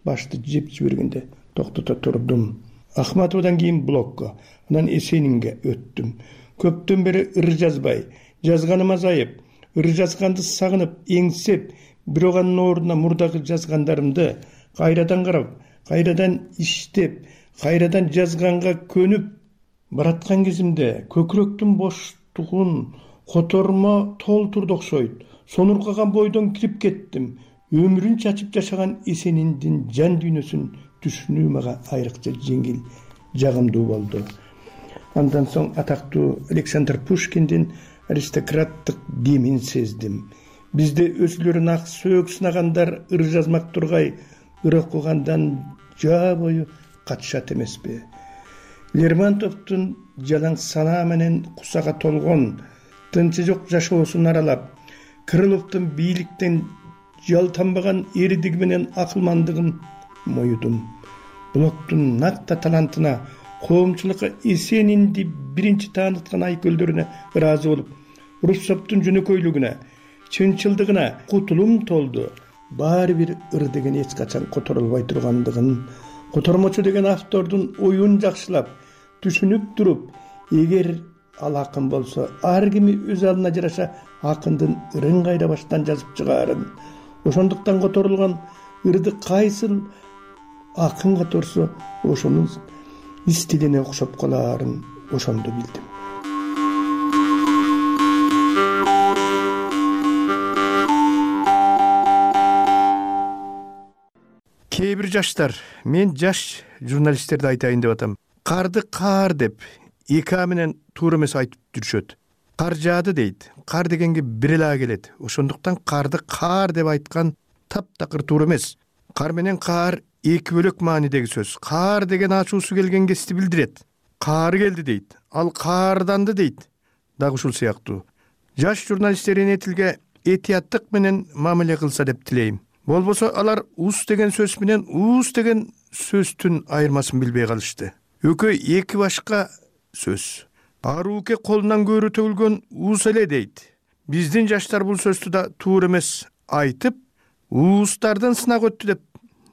Башты жеп жибергенде токтото турдум. Ахматовдон кийин блокко, анан Эсенинге өттүм. Көптөн бери ыр жазбай, жазганым азайып, ыр жазганды сагынып, эңсеп, бирок анын ордуна мурдагы жазгандарымды кайрадан карап, кайрадан иштеп, кайрадан жазганга көнүп бараткан кезимде көкүрөктүн боштугун котормо толтурду окшойт. Сонуркаган бойдон кирип кеттим. Өмүрүн чачып жашаган Эсениндин жан дүйнөсүн түшүнүү мага айрыкча жеңил, жагымдуу болду. Андан соң атактуу Александр Пушкиндин аристократтык демин сездим. Бизде өзүлөрүн ак сөөк сынагандар ыр жазмак тургай, ыр окугандан жаа бою катышат эмеспи? Лермонтовдун жалаң санаа менен кусага толгон, тынчы жок жашоосун аралап, Крыловдун бийликтен жалтанбаган эридиги менен акылмандыгын моюдум. Блоктун накта талантына, коомчулукка Эсенинди биринчи тааныткан айкөлдөрүнө ыраазы болуп, Руссоптун жөнөкөйлүгүнө, чынчылдыгына кутулум толду. Баары бир ыр деген эч качан которулбай тургандыгын, котормочу деген автордун оюн жакшылап, түшүнүп туруп, эгер ал акын болсо, ар кими өз алына жараша акындын ырын кайра баштан жазып чыгаарын, ошондуктан которулган ырды кайсыл акын которсо, ошонун стилине окшоп калаарын ошондо билдим. Кээ бир жаштар, мен жаш журналисттерди айтайын деп атам. Карды каар деп эки а менен туура эмес айтып жүрүшөт. Кар жаады дейт. Кар дегенге бир эле келет. Ошондуктан карды каар деп айткан таптакыр туура эмес. Кар менен каар эки бөлөк маанидеги сөз. Каар деген ачуусу келген кести билдирет. Каар келди дейт. Ал каарданды дейт. Дагы ушул сыяктуу. Жаш журналисттер энетилге этияттык менен мамиле кылса деп тилейм. Болбосо алар ус деген сөз менен уус деген сөздүн айырмасын билбей калышты. Өкөй эки башка сөз. Арууке колунан көөрү төгүлгөн уус эле дейт. Биздин жаштар бул сөздү да туура эмес айтып, уустардын сынак өттү деп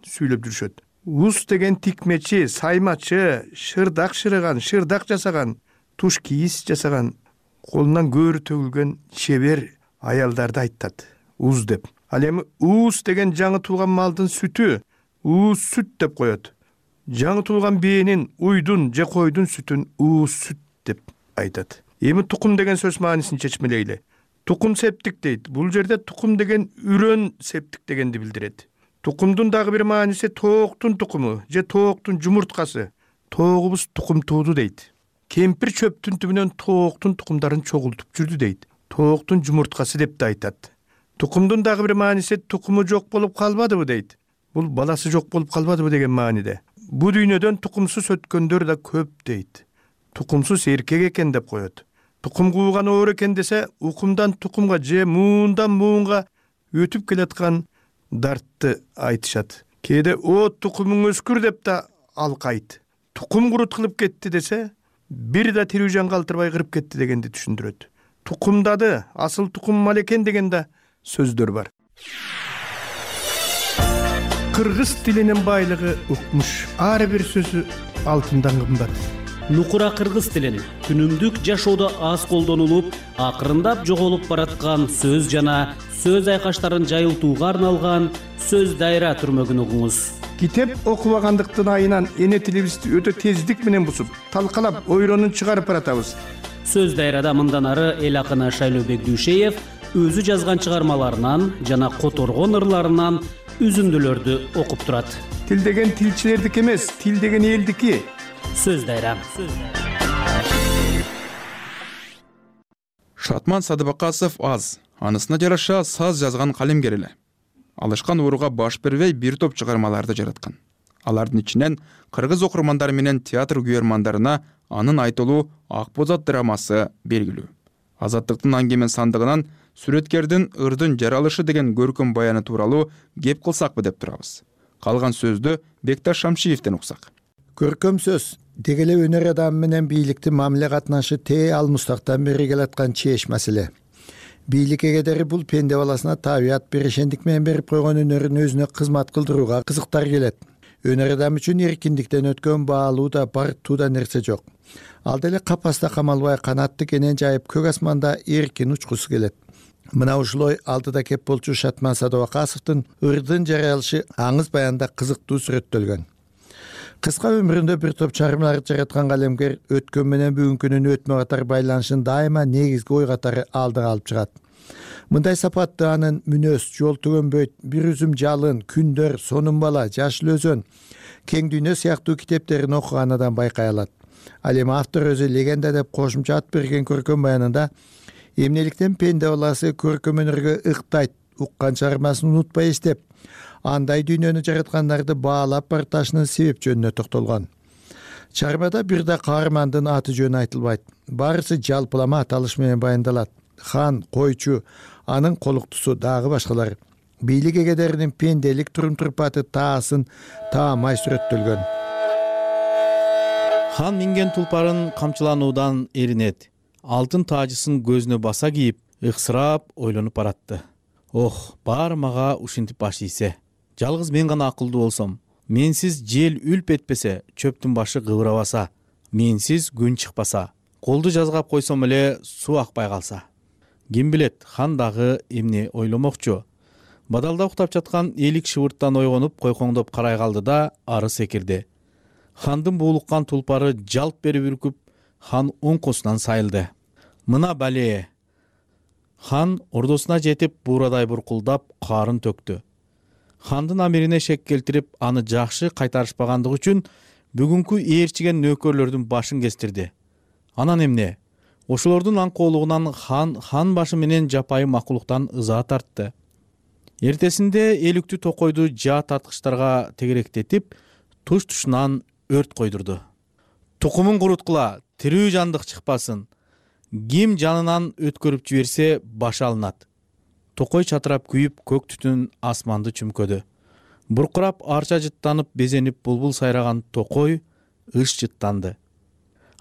сүйлөп жүрүшөт. Уус деген тикмечи, саймачы, шырдак шырыган, шырдак жасаган, туш кийиз жасаган, колунан көөрү төгүлгөн чебер аялдарды айтат. Уус деп. Ал эми уус деген жаңы туулган малдын сүтү, уус сүт деп коет. Жаңы туулган бээнин, уйдун же койдун сүтүн уус сүт деп айтат. Эми тукум деген сөз маанисин чечмелейли. Тукум септик дейт. Бул жерде тукум деген үрөн септик дегенди билдирет. Тукумдун дагы бир мааниси тооктун тукуму же тооктун жумурткасы. Тоогубуз тукум тууду дейт. Кемпир чөптүн түбүнөн тооктун тукумдарын чогултуп жүрдү дейт. Тооктун жумурткасы деп да айтат. Тукумдун дагы бир мааниси тукуму жок болуп калбадыбы дейт. Бул баласы жок болуп калбадыбы деген мааниде. Бу дүйнөдөн тукумсуз өткөндөр да көп дейт. Тукумсуз эркек экен деп коет. Тукум кууган оор экен десе, укумдан тукумга же муундан муунга өтүп келаткан дартты айтышат. Кээде о тукумуң өскүр деп да алкайт. Тукум курут кылып кетти десе, бир да тирүү жан калтырбай кырып кетти дегенди түшүндүрөт. Тукумдады, асыл тукум мал экен деген да сөздөр бар. Кыргыз тилинин байлыгы укмуш. Ар бир сөзү алтындан кымбат. Нукура кыргыз тилин күнүмдүк жашоодо аз колдонулуп, акырындап жоголуп бараткан сөз жана сөз айкаштарын жайылтууга арналган сөз дайра түрмөгүн угуңуз. Китеп окубагандыктын айынан эне тилибизди өтө тездик менен бусуп, талкалап, ойронун чыгарып баратабыз. Сөз дайрада мындан ары эл акыны Шайлообек Дүйшеев өзү жазган чыгармаларынан жана которгон ырларынан үзүндүлөрдү окуп турат. Тил деген тилчилердики эмес, тил деген элдики. Сөз дайра. Шатман Садыбакасов аз, анысына жараша саз жазган калемгер эле. Алышкан ууруга баш бербей бир топ чыгармаларды жараткан. Алардын ичинен кыргыз окурмандары менен театр күйөрмандарына анын айтылуу Ак боз ат драмасы белгилүү. Азаттыктын аңгемен сандыгынан сүрөткердин ырдын жаралышы деген көркөм баяны тууралуу кеп кылсакпы деп турабыз. Калган сөздү Бекташ Шамшиевден уксак. Көркөм сөз деги эле өнөр адамы менен бийликтин мамиле катнашы тээ ал мустактан бери келаткан чеч маселе. Бийлик эгедери бул пенде баласына табият берешендик менен берип койгон өнөрүн өзүнө кызмат кылдырууга кызыктар келет. Өнөр адам үчүн эркиндиктен өткөн баалуу да бартуу да нерсе жок. Ал деле капаста камалбай канатты кенен жайып көк асманда эркин учкусу келет. Мына ушулой алдыда кеп болчу Шатман Садыбакасовдун ырдын жаралышы аңыз баянда кызыктуу сүрөттөлгөн. Кыска өмүрүндө бир топ чыгармаларды жараткан калемгер өткөн менен бүгүнкүнүн өтмө катары байланышын дайыма негизги ой катары алдыга алып чыгат. Мындай сапатты анын мүнөз, жол төгөнбөйт, бир үзүм жалын, күндөр, сонун бала, жашыл өзөн, кең дүйнө сыяктуу китептерин окугандан байкай алат. Ал эми автор өзү легенда деп кошумча ат берген көркөм баянында эмнеликтен пенде баласы көркөм өнөргө ыктайт, уккан чыгармасын унутпай эстеп, андай дүйнөнү жараткандарды баалап барташынын себеп жөнүнө токтолгон. Чыгармада бир да каармандын аты жөнү айтылбайт. Баарысы жалпылама аталыш менен баяндалат. Хан, койчу, анын колуктусу дагы башкалар. Бийлик эгедеринин пенделик турум-турпаты таасын таамай сүрөттөлгөн. Хан минген тулпарын камчылануудан эринет. Алтын таажысын көзүнө баса кийип, ыксырап ойлонуп баратты. Ох, баары мага ушинтип баш ийсе. Жалгыз мен гана акылдуу болсом, менсиз жел үлп этпесе, чөптүн башы кыбырабаса, менсиз күн чыкпаса, колду жазгап койсом эле суу акпай калса. Ким билет, хан дагы эмне ойломокчу? Бадалда уктап жаткан элик шыбырттан ойгонуп, койкоңдоп карай калды да ары секирди. Хандын буулуккан тулпары жалп берип үркүп, хан оңкосунан сайылды. Мына бале. Хан ордосуна жетип, буурадай буркулдап, карын төктү. Хандын амирине шек келтирип, аны жакшы кайтарышпагандыгы үчүн бүгүнкү ээрчиген нөөкөрлөрдүн башын кестирди. Анан эмне? Ошолордун аңкоолугунан хан хан башы менен жапайы макулуктан ыза тартты. Эртесинде элүктүү токойду жаа тарткычтарга тегеректетип, туш-тушунан өрт койдурду. Тукумун куруткула, тирүү жандык чыкпасын. Ким жанынан өткөрүп жиберсе башы алынат. Токой чатырап күйүп, көк түтүн асманды чүмкөдү. Буркурап арча жыттанып, безенип булбул сайраган токой ыш жыттанды.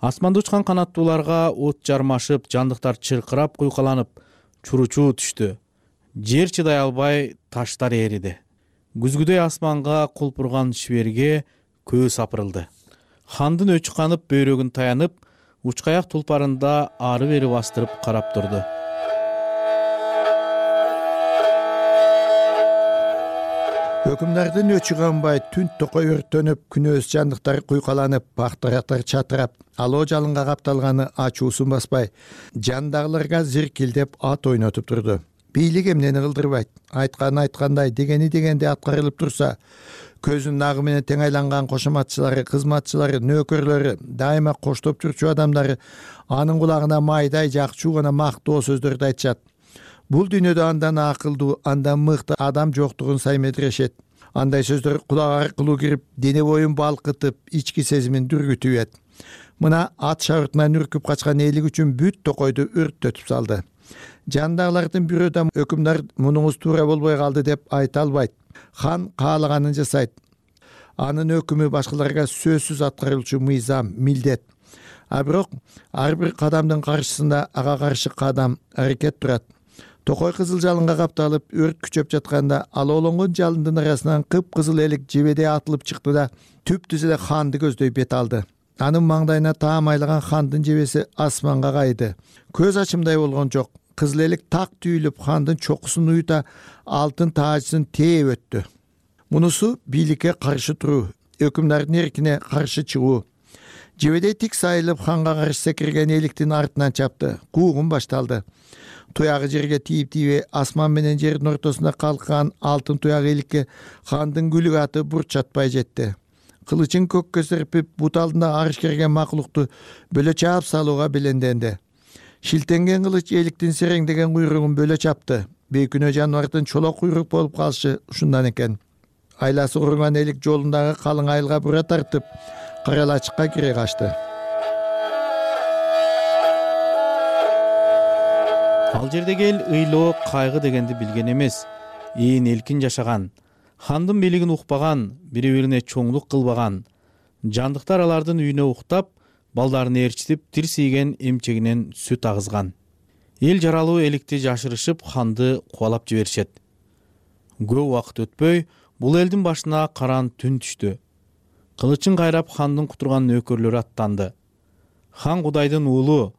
Асманда учкан канаттууларга от жармашып, жандыктар чыркырап куйкаланып, чуручуу түштү. Жер чыдай албай таштар эриди. Күзгүдөй асманга кулпурган шиберге көз сапырылды. Хандын өчү канып, бөйрөгүн таянып, учкаяк тулпарында ары бери бастырып карап турду. Өкүмдардын өчү канбай, түн токой өрттөнүп, күнөөс жандыктар куйкаланып, бактырактар чатырап, алоо жалынга капталганы ачуусун баспай, жандагыларга зиркилдеп ат ойнотуп турду. Бийлик эмнени кылдырбайт, айтканы айткандай, дегени дегенде аткарылып турса, көзүнүн агы менен тең айланган кошоматчылары, кызматчылары, нөөкөрлөрү, дайыма коштоп жүрчү адамдары анын кулагына майдай жакчуу гана мактоо сөздөрдү айтышат. Бул дүйнөдө андан акылдуу, андан мыкты адам жоктугун саймедирешет. Андай сөздөр кулак аркылуу кирип, дене боюн балкытып, ички сезимин дүргүтүп. Мына ат шабыртынан үркүп качкан элик үчүн бүт токойду өрттөтүп салды. Жандагылардын бирөө да өкүмдар мунуңуз туура болбой калды деп айта албайт. Хан каалаганын жасайт. Анын өкүмү башкаларга сөзсүз аткарылчу мыйзам, милдет. А бирок ар бир кадамдын каршысында ага каршы кадам, аракет турат. Токой кызыл жалынга капталып, өрт күчөп жатканда алоолонгон жалындын арасынан кыпкызыл элик жебедей атылып чыкты да түп-түз эле ханды көздөй бет алды. Анын маңдайына таамайлаган хандын жебеси асманга кайды. Көз ачымдай болгон жок. Кызыл элик так түйүлүп, хандын чокусун уюта алтын таажысын тээп өттү. Мунусу бийликке каршы туруу, өкүмдардын эркине каршы чыгуу. Жебедей тик сайылып, ханга каршы секирген эликтин артынан чапты. Куугун башталды. Туягы жерге тийип-тийбей, асман менен жердин ортосунда калккан алтын туяк эликке хандын күлүк аты бурч жатпай жетти. Кылычын көккө серпип, бут алдында арыш керген макулукту бөлө чаап салууга беленденди. Шилтенген кылыч эликтин сереңдеген куйругун бөлө чапты. Бейкүнөө жаныбардын чолок куйрук болуп калышы ушундан экен. Айласы урунган элик жолундагы калың айылга бура тартып, карал ачыкка кире качты. Ал жердеги эл ыйлоо, кайгы дегенди билген эмес. Ээн элкин жашаган, хандын бийлигин укпаган, бири-бирине чоңдук кылбаган. Жандыктар алардын үйүнө уктап, балдарын ээрчитип, тирсийген эмчегинен сүт агызган. Эл жаралуу эликти жашырышып, ханды кубалап жиберишет. Көп убакыт өтпөй, бул элдин башына караан түн түштү. Кылычын кайрап хандын кутурган нөөкөрлөрү аттанды. Хан Кудайдын уулу,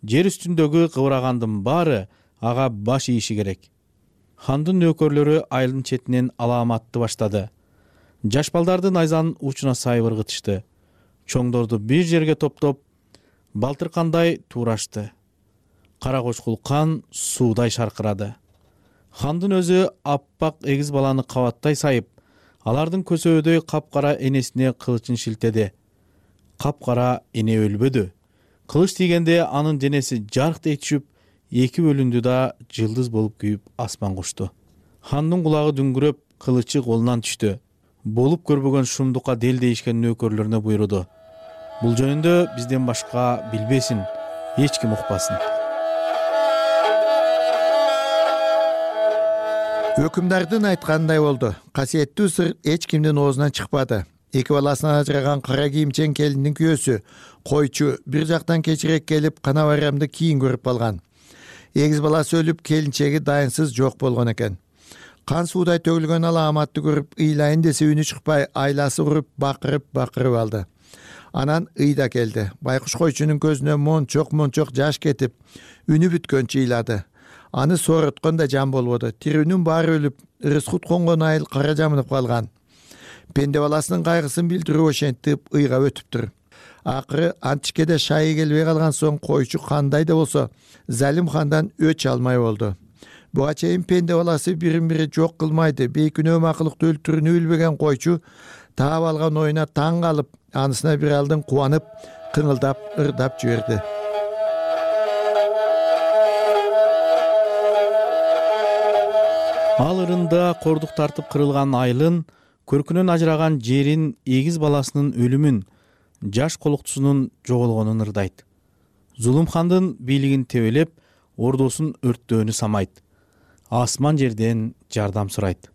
жер үстүндөгү кыбырагандын баары ага баш ийиши керек. Хандын нөөкөрлөрү айылдын четинен алааматты баштады. Жаш балдарды найзанын учуна сайып ыргытышты. Чоңдорду бир жерге топтоп, балтыркандай туурашты. Кара кочкул кан суудай шаркырады. Хандын өзү аппак эгиз баланы кабаттай сайып, алардын көсөөдөй капкара энесине кылычын шилтеди. Капкара эне өлбөдү. Кылыч тийгенде анын денеси жарктай түшүп, эки бөлүндү да жылдыз болуп күйүп асманга учту. Хандын кулагы дүңгүрөп, кылычы колунан түштү. Болуп көрбөгөн шумдукка дел дейишкен нөөкөрлөрүнө буйруду. Бул жөнүндө бизден башка билбесин, эч ким укпасын. Өкүмдардын айткандай болду. Касиеттүү сыр эч кимдин оозунан чыкпады. Эки баласынан ажыраган кара кийимчен келиндин күйөөсү, койчу бир жактан кечирээк келип, кана байрамды кийин көрүп калган. Эгиз баласы өлүп, келинчеги дайынсыз жок болгон экен. Кан суудай төгүлгөн алааматты көрүп, ыйлайын десе үнү чыкпай, айласы уруп, бакырып, бакырып алды. Анан ыйда келди. Байкуш койчунун көзүнө мончок-мончок жаш кетип, үнү бүткөнчө ыйлады. Аны сооруткон да жан болбоду. Тирүүнүн баары өлүп, ырыскут конгон айыл кара жамынып калган. Пенде баласынын кайгысын билдирүү ошентип ыйга өтүптүр. Акыры антишкеде шайы келбей калган соң койчу кандай да болсо Залим хандан өч алмай болду. Буга чейин пенде баласы бирин бири жок кылмайды, бейкүнөө макылыкты өлтүрүүнү билбеген койчу таап алган оюна таң калып, анысына бир алдын кубанып, кыңылдап, ырдап жиберди. Ал ырында кордук тартып кырылган айылын, көркүнөн ажыраган жерин, эгиз баласынын өлүмүн, жаш колуктусунун жоголгонун ырдайт. Зулум хандын бийлигин тебелеп, ордосун өрттөөнү самайт. Асман жерден жардам сурайт.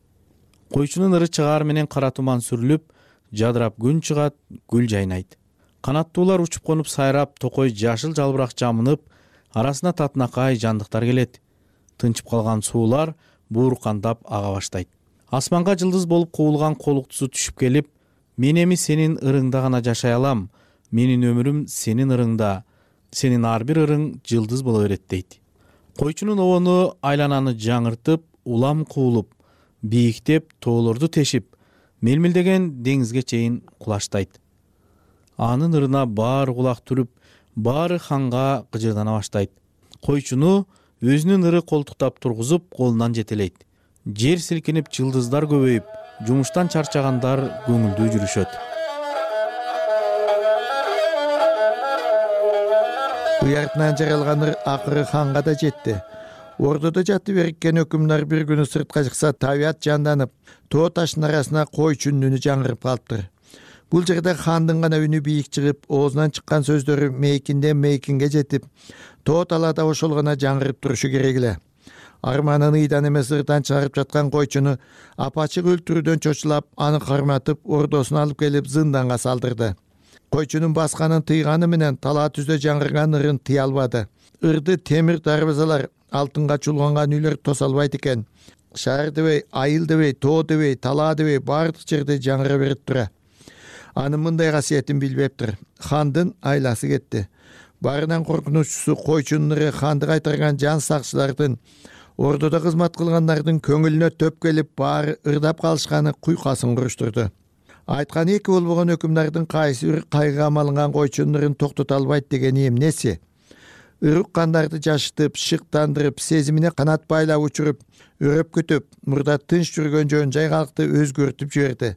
Койчунун ыры чыгаар менен кара туман сүрүлүп, жадырап күн чыгат, гүл жайнайт. Канаттуулар учуп конуп сайрап, токой жашыл жалбырак жамынып, арасына татынакай жандыктар келет. Тынчып калган суулар буурукандап ага баштайт. Асманга жылдыз болуп куулган колуктусу түшүп келип, мен эми сенин ырыңда гана жашай алам, менин өмүрүм сенин ырыңда, сенин ар бир ырың жылдыз боло берет дейт. Койчунун обону айлананы жаңыртып, улам куулуп, бийиктеп, тоолорду тешип, мелмилдеген деңизге чейин кулаштайт. Анын ырына баары кулак түрүп, баары ханга кыжырдана баштайт. Койчуну өзүнүн ыры колтуктап тургузуп, колунан жетелейт. Жер силкинип, жылдыздар көбөйүп, жумуштан чарчагандар көңүлдүү жүрүшөт. Уяртынан жаралган ыр акыры ханга да жетти. Ордодо жатып эриккен өкүмдар бир күнү сыртка чыкса, табият жанданып, тоо таштын арасына койчунун үнү жаңырып калыптыр. Бул жерде хандын гана үнү бийик чыгып, оозунан чыккан сөздөрү мейкинден мейкинге жетип, тоо талаада ошол гана жаңырып турушу керек эле. Арманын ыйдан эмес ырдан чыгарып жаткан койчуну апачык өлтүрүүдөн чочулап, аны карматып, ордосуна алып келип зынданга салдырды. Койчунун басканын тыйганы менен талаа түздө жаңырган ырын тыя албады. Ырды темир дарбазалар, алтынга чулганган үйлөр тоса албайт экен. Шаар дебей, айыл дебей, тоо дебей, талаа дебей баардык жерде жаңыра берип тура. Анын мындай касиетин билбептир. Хандын айласы кетти. Баарынан коркунучусу койчунун ыры ханды кайтарган жан сакчылардын, ордодо кызмат кылгандардын көңүлүнө төп келип, баары ырдап калышканы куйкасын куруштурду. Айткан эки болбогон өкүмдардын кайсы бир кайгыга малынган койчунун ырын токтото албайт дегени эмнеси? Ыр уккандарды жашытып, шыктандырып, сезимине канат байлап учуруп, өрөп күтүп, мурда тынч жүргөн жөн жай калкты өзгөртүп жиберди.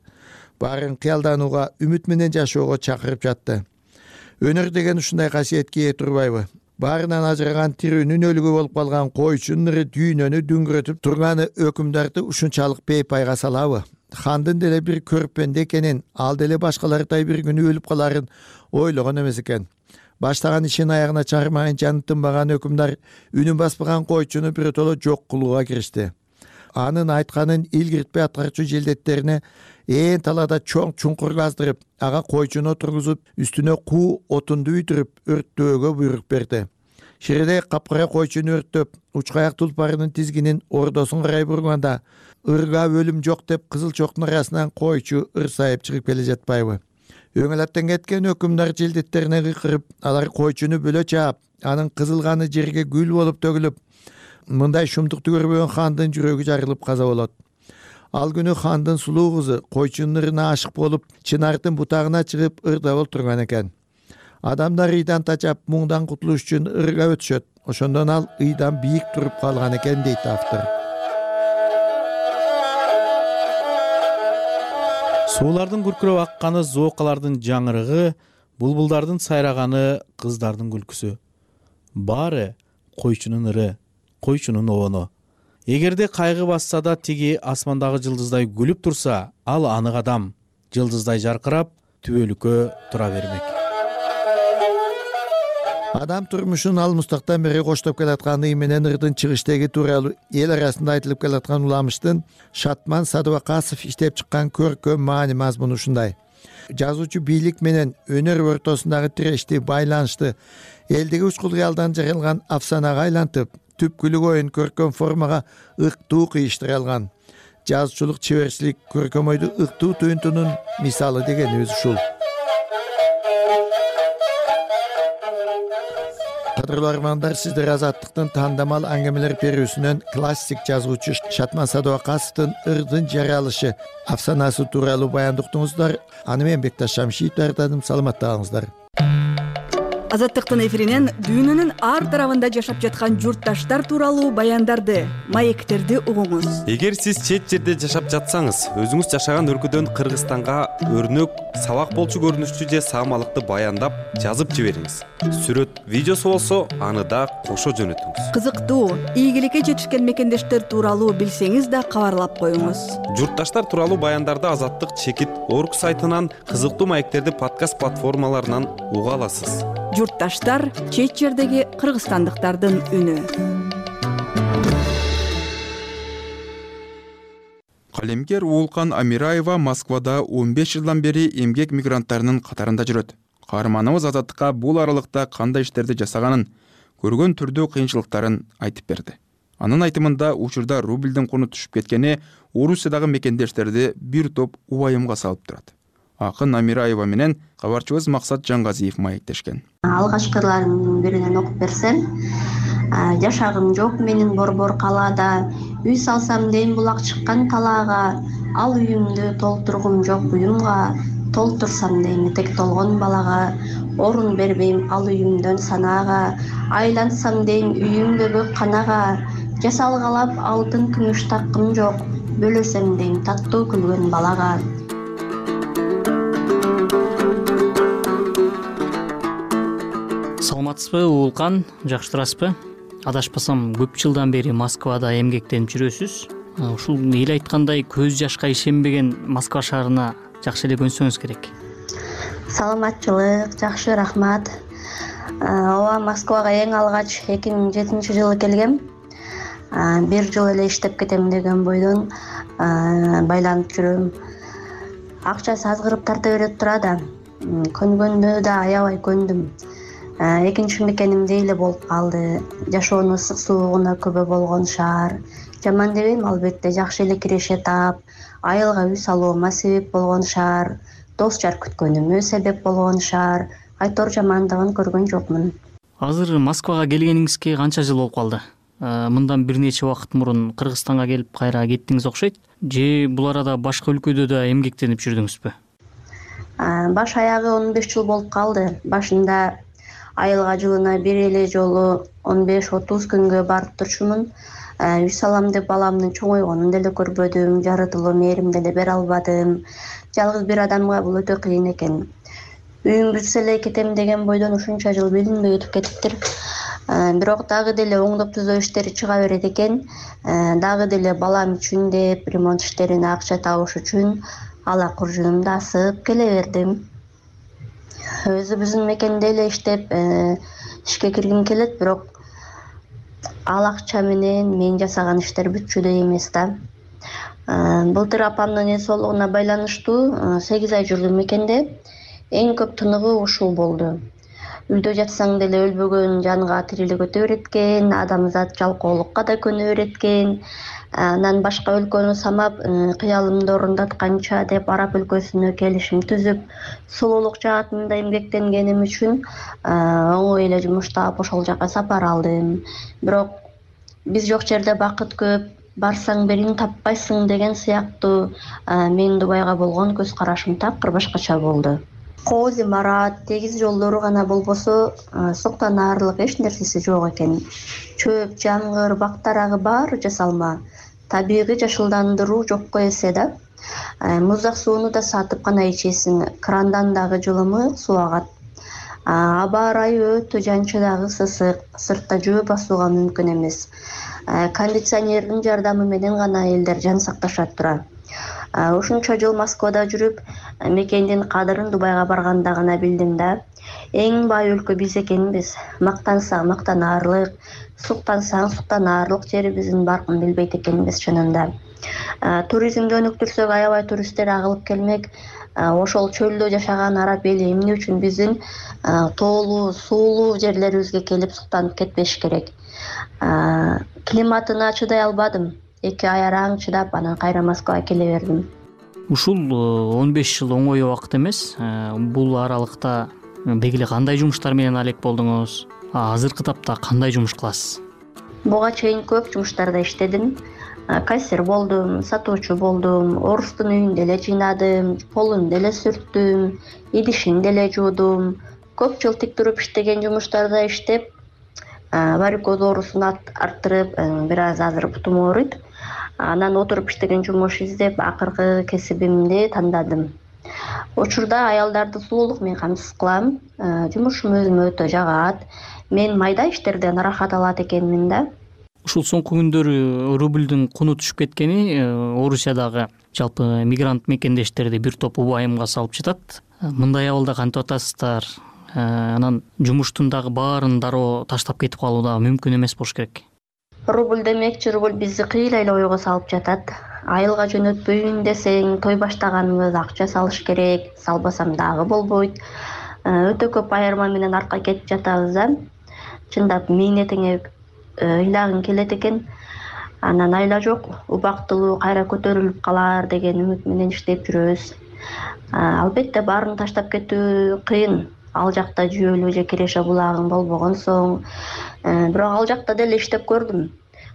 Баарын кыялданууга, үмүт менен жашоого чакырып жатты. Өнөр деген ушундай касиетке ээ турбайбы? баарынан ажыраган тирүүнүн өлүгү болуп калган койчунун ыры дүйнөнү дүңгүрөтүп турганы өкүмдарды ушунчалык бейпайга салабы? Хандын деле бир көрпенде экенин, ал деле башкалардай бир күнү өлүп каларын ойлогон эмес экен. Баштаган ишин аягына чыгармайын жаны тынбаган өкүмдар үнүн баспаган койчуну биротоло жок кылууга киришти. Анын айтканын илгиртпей аткарчу желдеттерине ээн талаада чоң чуңкур каздырып, ага койчуну отургузуп, үстүнө куу отунду үйдүрүп, өрттөөгө буйрук берди. Ширедей капкара койчуну өрттөп, учкаяк тулпарынын тизгинин ордосун карай бурганда, ырга өлүм жок деп кызыл чоктун арасынан койчу ырсайып чыгып келе жатпайбы? Өңөлөттөн кеткен өкүмдар желдеттерине кыйкырып, алар койчуну бөлө чаап, анын кызыл каны жерге гүл болуп төгүлүп, мындай шумдукту көрбөгөн хандын жүрөгү жарылып каза болот. Ал күнү хандын сулуу кызы койчунун ырына ашык болуп, чынардын бутагына чыгып ырда олтурган экен. Адамдар ыйдан тачап, муңдан кутулуш үчүн ырга өтүшөт. Ошондон ал ыйдан бийик туруп калган экен, дейт автор. Суулардын күркүрөп акканы, зоокалардын жаңырыгы, булбулдардын сайраганы, кыздардын күлкүсү. Баары койчунун ыры, койчунун обону. Эгерде кайгы басса да тиги асмандагы жылдыздай күлүп турса, ал анык адам, жылдыздай жаркырап, түбөлүккө тура бермек. Адам турмушун ал мустактан бери коштоп келаткан ый менен ырдын чыгыштеги тууралуу эл арасында айтылып келаткан уламыштын Шатман Садыбакасов иштеп чыккан көркөм маани мазмуну ушундай. Жазуучу бийлик менен өнөр ортосундагы тирешти, байланышты элдеги учкул кыялдан жаралган афсанага айлантып, түпкүлүк оюн көркөм формага ыктуу кыйыштыра алган. Жазуучулук чеберчилик көркөм ойду ыктуу туюнтунун мисалы дегенибиз ушул. Кадырлуу армандар, сиздер Азаттыктын тандамал аңгемелер берүүсүнөн классик жазуучу Шатман Садыбакасовдун ырдын жаралышы афсанасы тууралуу баяндоо уктуңуздар. Аны мен Бекташ Шамшиев даярдадым. Саламаттагыңыздар. Азаттыктын эфиринен дүйнөнүн ар тарабында жашап жаткан журтташтар тууралуу баяндарды, маектерди угуңуз. Эгер сиз чет жерде жашап жатсаңыз, өзүңүз жашаган өлкөдөн Кыргызстанга өрнөк, сабак болчу көрүнүштүү же саамалыкты баяндап, жазып жибериңиз. Сүрөт, видеосу болсо, аны да кошо жөнөтүңүз. Кызыктуу, ийгиликке жетишкен мекендештер тууралуу билсеңиз да кабарлап коюңуз. Журтташтар тууралуу баяндарды Азаттык чекит орг сайтынан, кызыктуу маектерди подкаст платформаларынан уга аласыз. Журтташтар — чет жердеги кыргызстандыктардын үнү. Калемгер Уулкан Амираева Москвада он беш жылдан бери эмгек мигранттарынын катарында жүрөт. Каарманыбыз Азаттыкка бул аралыкта кандай иштерди жасаганын, көргөн түрдүү кыйынчылыктарын айтып берди. Анын айтымында учурда рубльдин куну түшүп кеткени Орусиядагы мекендештерди бир топ убайымга салып турат. Акын Амираева менен кабарчыбыз Максат Жангазиев маектешкен. Алгачкылардын биринен окуп берсем, жашагым жок менин борбор калаада, үй салсам дейм булак чыккан талаага, ал үйүмдү толтургум жок буюмга, толтурсам дейм этек толгон балага, орун бербейм ал үйүмдөн санаага, айлансам дейм үйүмдө көк канага, жасалгалап алтын күмүш таккым жок, бөлөсөм дейм таттуу күлгөн балага. Саламатсызбы, Уулкан, жакшы турасызбы? Адашпасам, көп жылдан бери Москвада эмгектенип жүрөсүз. Ушул эл айткандай көз жашка ишенбеген Москва шаарына жакшы эле көнсөңүз керек. Саламатчылык, жакшы, рахмат. Ооба, Москвага эң алгач эки миң жетинчи жылы келгем. Бир жыл эле иштеп кетем деген бойдон байланып жүрөм. Акчасы азгырып тарта берет тура да. Көнгөндө да аябай көндүм. Экинчи мекенимде эле болуп калды. Жашоонун ысык суугуна көбө болгон шаар. Жаман дебейм, албетте жакшы эле киреше таап, айылга үй салуума себеп болгон шаар, дос жар күткөнүмө себеп болгон шаар. Айтор жамандыгын көргөн жокмун. Азыр Москвага келгениңизге канча жыл болуп калды? Мындан бир нече убакыт мурун Кыргызстанга келип кайра кеттиңиз окшойт. Же бул арада башка өлкөдө да эмгектенип жүрдүңүзбү? Баш аягы он беш жыл болуп калды. Башында айылга жылына бир эле жолу он беш отуз күнгө барып турчумун. Үй салам деп баламдын чоңойгонун деле көрбөдүм, жарытылуу мээрим деле бере албадым. Жалгыз бир адамга бул өтө кыйын экен. Үйүм бүтсө эле кетем деген бойдон ушунча жыл билинбей өтүп кетиптир. бирок дагы деле оңдоп түзөө иштери чыга берет экен. Дагы деле балам үчүн деп ремонт иштерине акча табыш үчүн ала куржунумду асып келе бердим. Өзүбүздүн мекенде эле иштеп ишке киргим келет, бирок ал акча менен мен жасаган иштер бүтчүдөй эмес да. Былтыр апамдын эс соолугуна байланыштуу сегиз ай жүрдүм мекенде. Эң көп тыныгуу ушул болду. Үйдө жатсаң деле өлбөгөн жанга тирилик өтө берет экен, адамзат жалкоолукка да көнө берет экен. Анан башка өлкөнү самап, кыялымды орундатканча деп араб өлкөсүнө келишим түзүп, сулуулук жаатында эмгектенгеним үчүн оңой эле жумуш таап ошол жака сапар алдым. Бирок биз жок жерде бакыт көп, барсаң бирин таппайсың деген сыяктуу менин Дубайга болгон көз карашым такыр башкача болду. Коози марат, тегиз жолдору гана болбосо, суктан аарылык эч нерсеси жок экен. Чөп, жамгыр, бак дарагы баары жасалма. Табигый жашылдандыруу жокко эсе да. Муздак сууну да сатып гана ичесиң, крандан дагы жылымы суу агат. Аба ырайы өтө жанчы дагы сысык, сыртта жөө басууга мүмкүн эмес. Кондиционердин жардамы менен гана элдер жан сакташат тура. Ушунча жыл Москвада жүрүп, мекендин кадырын Дубайга барганда гана билдим да. Эң бай өлкө биз экенбиз. Мактансаң мактанаарлык, суктансаң суктанаарлык жерибиздин баркын билбейт экенбиз чынында. Туризмди өнүктүрсөк, аябай туристтер агылып келмек. Ошол чөлдө жашаган араб эли эмне үчүн биздин тоолуу, суулуу жерлерибизге келип суктанып кетпеш керек. Климатына чыдай албадым. эки ай араң чыдап, анан кайра Москвага келе бердим. Ушул он беш жыл оңой убакыт эмес. Бул аралыкта бегиле кандай жумуштар менен алек болдуңуз? Азыркы тапта кандай жумуш кыласыз? Буга чейин көп жумуштарда иштедим. Кассир болдум, сатуучу болдум, орустун үйүндө эле жыйнадым, полун деле сүрттүм, идишин деле жуудум. Көп жыл тик туруп иштеген жумуштарда иштеп, варикоз оорусун арттырып, бир аз азыр бутум ооруйт. Анан отуруп иштеген жумуш издеп, акыркы кесибимди тандадым. Учурда аялдарды сулуулук менен камсыз кылам. Жумушум өзүмө өтө жагат. Мен майда иштерден ырахат алат экенмин да. Ушул соңку күндөрү рубльдүн куну түшүп кеткени Орусиядагы жалпы мигрант мекендештерди бир топ убайымга салып жатат. Мындай абалда кантип атасыздар? Анан жумуштун дагы баарын дароо таштап кетип калуу да мүмкүн эмес болуш керек. Рубль демекчи, рубль бизди кыйла эле ойго салып жатат. Айылга жөнөтпөйүн десең, той баштаганыбыз акча салыш керек, салбасам дагы болбойт. Өтө көп айырма менен артка кетип жатабыз да. Чындап мээнетиңе ыйлагың келет экен. Анан айла жок, убактылуу кайра көтөрүлүп калар деген үмүт менен иштеп жүрөбүз. Албетте баарын таштап кетүү кыйын. Ал жакта жүйөлүү же Киреше булагың болбогон соң, бирок ал жакта деле иштеп көрдүм.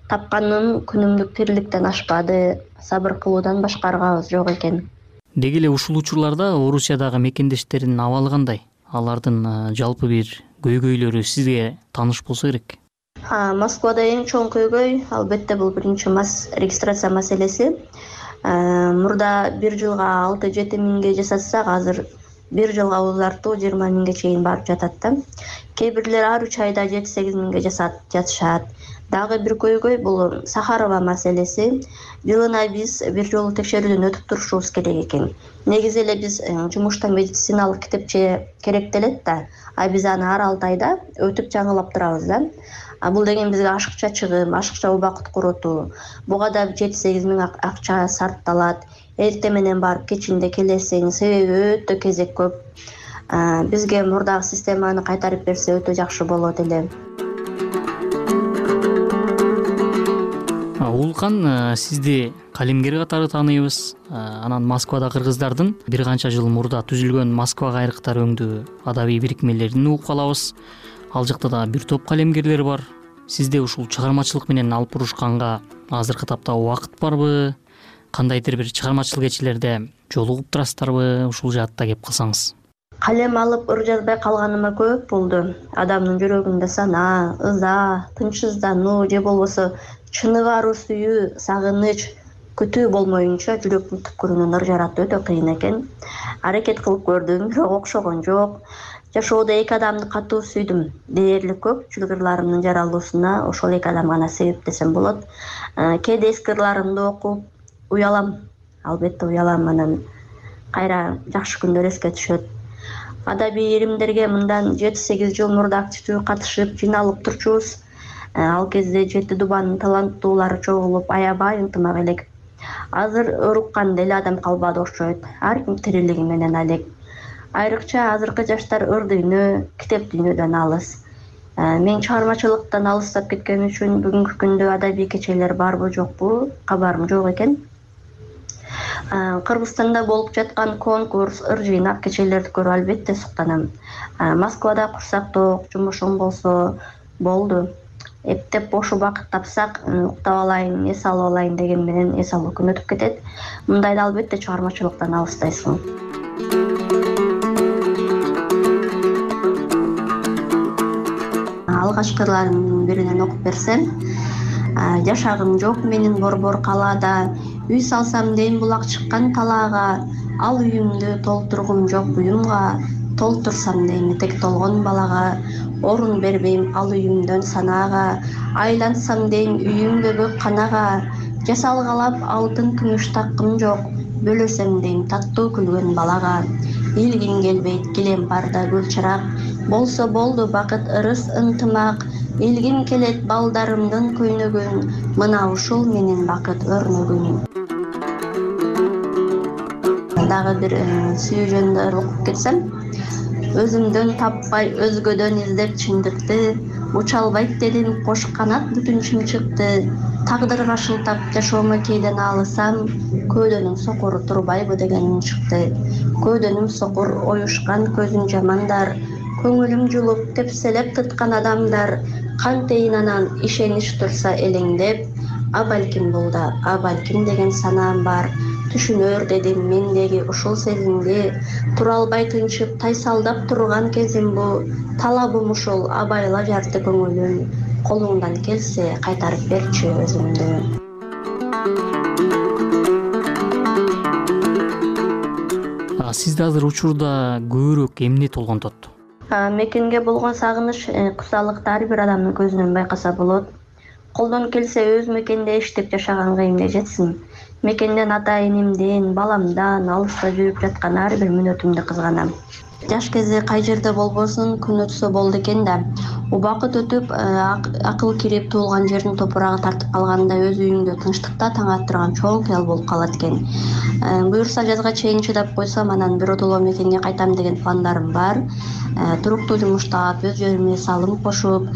Тапканым күнүмдүк тириликтен ашпады, сабыр кылуудан башка аргабыз жок экен. Деги эле ушул учурларда Орусиядагы мекендештердин абалы кандай? Алардын жалпы бир көйгөйлөрү сизге тааныш болсо керек. Москвада эң чоң көйгөй албетте бул биринчи регистрация маселеси. Мурда бир жылга алты жети миңге жасатсак, азыр бир жылга узартуу жыйырма миңге чейин барып жатат да. Кээ бирлер ар үч айда жети сегиз миңге жатышат. Дагы бир көйгөй бул Сахарова маселеси. Жылына биз бир жолу текшерүүдөн өтүп турушубуз керек экен. Негизи эле биз жумушта медициналык китепче керектелет да, а биз аны ар алты айда өтүп жаңылап турабыз да. Бул деген бизге ашыкча чыгым, ашыкча убакыт коротуу. Буга да жети сегиз миң акча сарпталат. Эрте менен барып кечинде келесең, себеби өтө кезек көп. Бизге мурдагы системаны кайтарып берсе өтө жакшы болот эле. Улкан, сизди калемгер катары тааныйбыз. Анан Москвада кыргыздардын бир канча жыл мурда түзүлгөн Москва кайрыктар өңдүү адабий бирикмелерин угуп калабыз. Ал жакта да бир топ калемгерлер бар. Сизде ушул чыгармачылык менен алып бурушканга азыркы тапта убакыт барбы? Кандайдыр бир чыгармачыл кечелерде жолугуп турасыздарбы? Ушул жаатта кеп кылсаңыз. Калем алып ыр жазбай калганыма көп болду. Адамдын жүрөгүндө сана, ыза, тынчсыздануу же болбосо чыныгы аруу сүйүү, сагыныч, күтүү болмоюнча жүрөктүн түпкүрүнөн ыр жаратуу өтө кыйын экен. Аракет кылып көрдүм, бирок окшогон жок. жашоодо эки адамды катуу сүйдүм. Дээрлик көп, чылгырларымдын жаралуусуна ошол эки адам гана себеп десем болот. Кээде эски ырларымды окуп уялам, албетте уялам, анан кайра жакшы күндөр эске түшөт. Адабий иримдерге мындан жети сегиз жыл мурда активдүү катышып, жыйналып турчубуз. Ал кезде жети дубанын таланттуулары чогулуп, аябай ынтымак элек. Азыр ыруккан деле адам калбады окшойт. Ар ким тирилиги менен алек. Айрыкча азыркы жаштар ыр дүйнө, китеп дүйнөдөн алыс. Мен чыгармачылыктан алыстап кеткен үчүн бүгүнкү күндө адабий кечелер барбы жокпу, кабарым жок экен. Кыргызстанда болуп жаткан конкурс, ыр жыйнак кечелерди көрүп албетте суктанам. Москвада курсак ток, жумушум болсо болду. Эптеп бош убакыт тапсак, уктап алайын, эс алып алайын деген менен эс алуу күн өтүп кетет. Мындайда албетте чыгармачылыктан алыстайсың. Алгачкылардын биринен окуп берсем, жашагым жок менин борбор калаада, үй салсам дейм булак чыккан талаага, ал үйүмдү толтургум жок буюмга, толтурсам дейм этек толгон балага, орун бербейм ал үйүмдөн санаага, айлансам дейм үйүмдө көк канага, жасалгалап алтын күмүш таккым жок, бөлөсөм дейм таттуу күлгөн балага, илгим келбейт килем барда гүл чырак, болсо болду бакыт ырыс ынтымак, илгим келет балдарымдын көйнөгүн, мына ушул менин бакыт өрнөгүн. Дагы бир сүйүү жөнүндө окуп кетсем, өзүмдөн таппай өзгөдөн издеп чындыкты, уча албайт дедим кош канат бүтүн чымчыкты, тагдырга шылтап жашоомо кээден алысам, көөдөнүн сокуру турбайбы деген үн чыкты. Көөдөнүм сокур оюшкан көзүн жамандар, көңүлүм жулуп тепселеп тыткан адамдар, кантейин анан ишенич турса элеңдеп, а балким бул да, а балким деген санаам бар. Түшүнөр дедим мендеги ушул сезимди, тура албай тынчып тайсалдап турган кезим бу, талабым ушул абайла жарты көңүлүм, колуңдан келсе кайтарып берчи өзүмдү. Сизди азыр учурда көбүрөөк эмне толгонтот? Мекенге болгон сагыныч, кусалыкты ар бир адамдын көзүнөн байкаса болот. Колдон келсе өз мекенде иштеп жашаганга эмне жетсин. Мекенден ата энемден, баламдан алыста жүрүп жаткан ар бир мүнөтүмдү кызганам. Жаш кезде кай жерде болбосун күн өтсө болду экен да. Убакыт өтүп, акыл кирип туулган жердин топурагы тартып калганда өз үйүңдө тынчтыкта таң аттырган чоң кыял болуп калат экен. Буюрса жазга чейин чыдап койсом, анан биротоло мекенге кайтам деген пландарым бар. Туруктуу жумуш таап, өз жериме салым кошуп,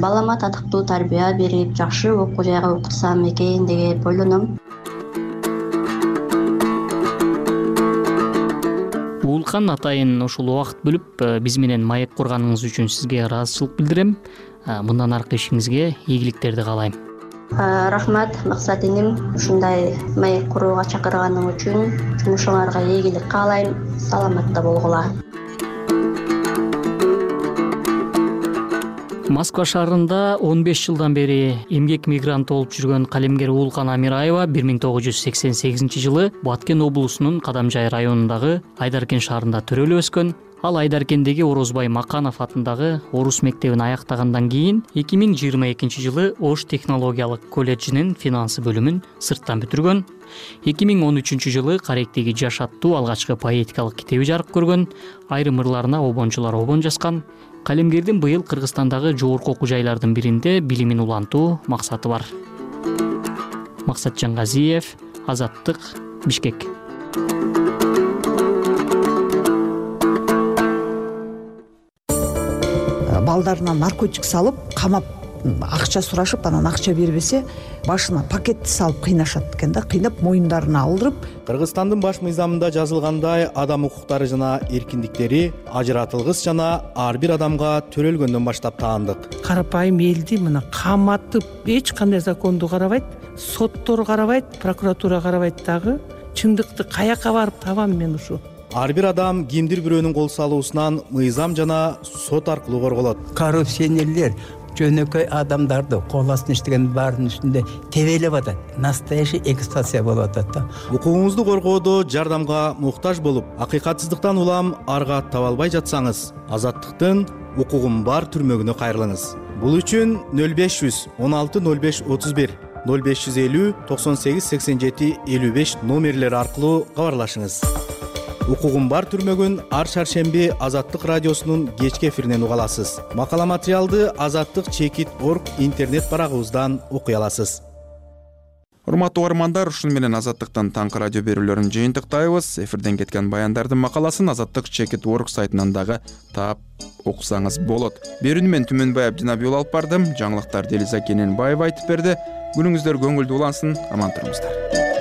балама татыктуу тарбия берип, жакшы окуу жайга окутсам экен деп ойлоном. Уулкан атайын ушул убакыт бөлүп биз менен маек курганыңыз үчүн сизге ыраазычылык билдирем. Мындан аркы ишиңизге ийгиликтерди каалайм. Рахмат, максат иним, ушундай маек курууга чакырганың үчүн жумушуңарга ийгилик каалайм. Саламатта болгула. Москва шаарында он беш жылдан бери эмгек мигранты болуп жүргөн калемгер Уулкан Амираева бир миң тогуз жүз сексен сегизинчи жылы Баткен облусунун Кадамжай районундагы Айдаркен шаарында төрөлүп өскөн. Ал Айдаркендеги Орозбай Маканов атындагы орус мектебин аяктагандан кийин эки миң жыйырма экинчи жылы Ош технологиялык колледжинин финансы бөлүмүн сырттан бүтүргөн. эки миң он үчүнчү жылы Каректеги Жаш аттуу алгачкы поэтикалык китеби жарык көргөн. Айрым ырларына обончулар обон жазган. Калемгердин быйыл Кыргызстандагы жогорку окуу жайлардын биринде билимин улантуу максаты бар. Максат Жангазиев, Азаттык, Бишкек. Балдарына наркотик салып, камап, акча сурашып, анан акча бербесе, башына пакетти салып кыйнашат экен да, кыйнап моюндарына алдырып. Кыргызстандын баш мыйзамында жазылгандай, адам укуктары жана эркиндиктери ажыратылгыс жана ар бир адамга төрөлгөндөн баштап таандык. Карапайым элди мына каматып, эч кандай законду карабайт, соттор карабайт, прокуратура карабайт дагы. Чындыкты каяка барып табам мен ушу? Ар бир адам кимдир бирөөнүн кол салуусунан мыйзам жана сот аркылуу корголот. Коррупционерлер жөнөкөй адамдарды кол астына иштеген баарынын үстүндө тебелеп атат. Настоящий экстазия болуп атат да. Укугуңузду коргоодо жардамга муктаж болуп, акыйкатсыздыктан улам арга таба албай жатсаңыз, Азаттыктын укугум бар түрмөгүнө кайрылыңыз. Бул үчүн нөл беш жүз он алты нөл беш отуз бир нөл беш жүз элүү токсон сегиз сексен жети элүү беш номерлери аркылуу кабарлашыңыз. Укугум бар түрмөгүн ар шаршемби Азаттык радиосунун кечки эфиринен уга аласыз. Макала материалды азаттык чекит орг интернет барагыбыздан окуй аласыз. Урматтуу угармандар, ушуну менен Азаттыктын таңкы радио берүүлөрүн жыйынтыктайбыз. Эфирден кеткен баяндардын макаласын Азаттык чекит орг сайтынан дагы таап окусаңыз болот. Берүүнү мен Түмөнбай Абдинабиул алып бардым. Жаңылыктарды Элиза Кененбаева айтып берди. Күнүңүздөр көңүлдүү улансын, аман туруңуздар.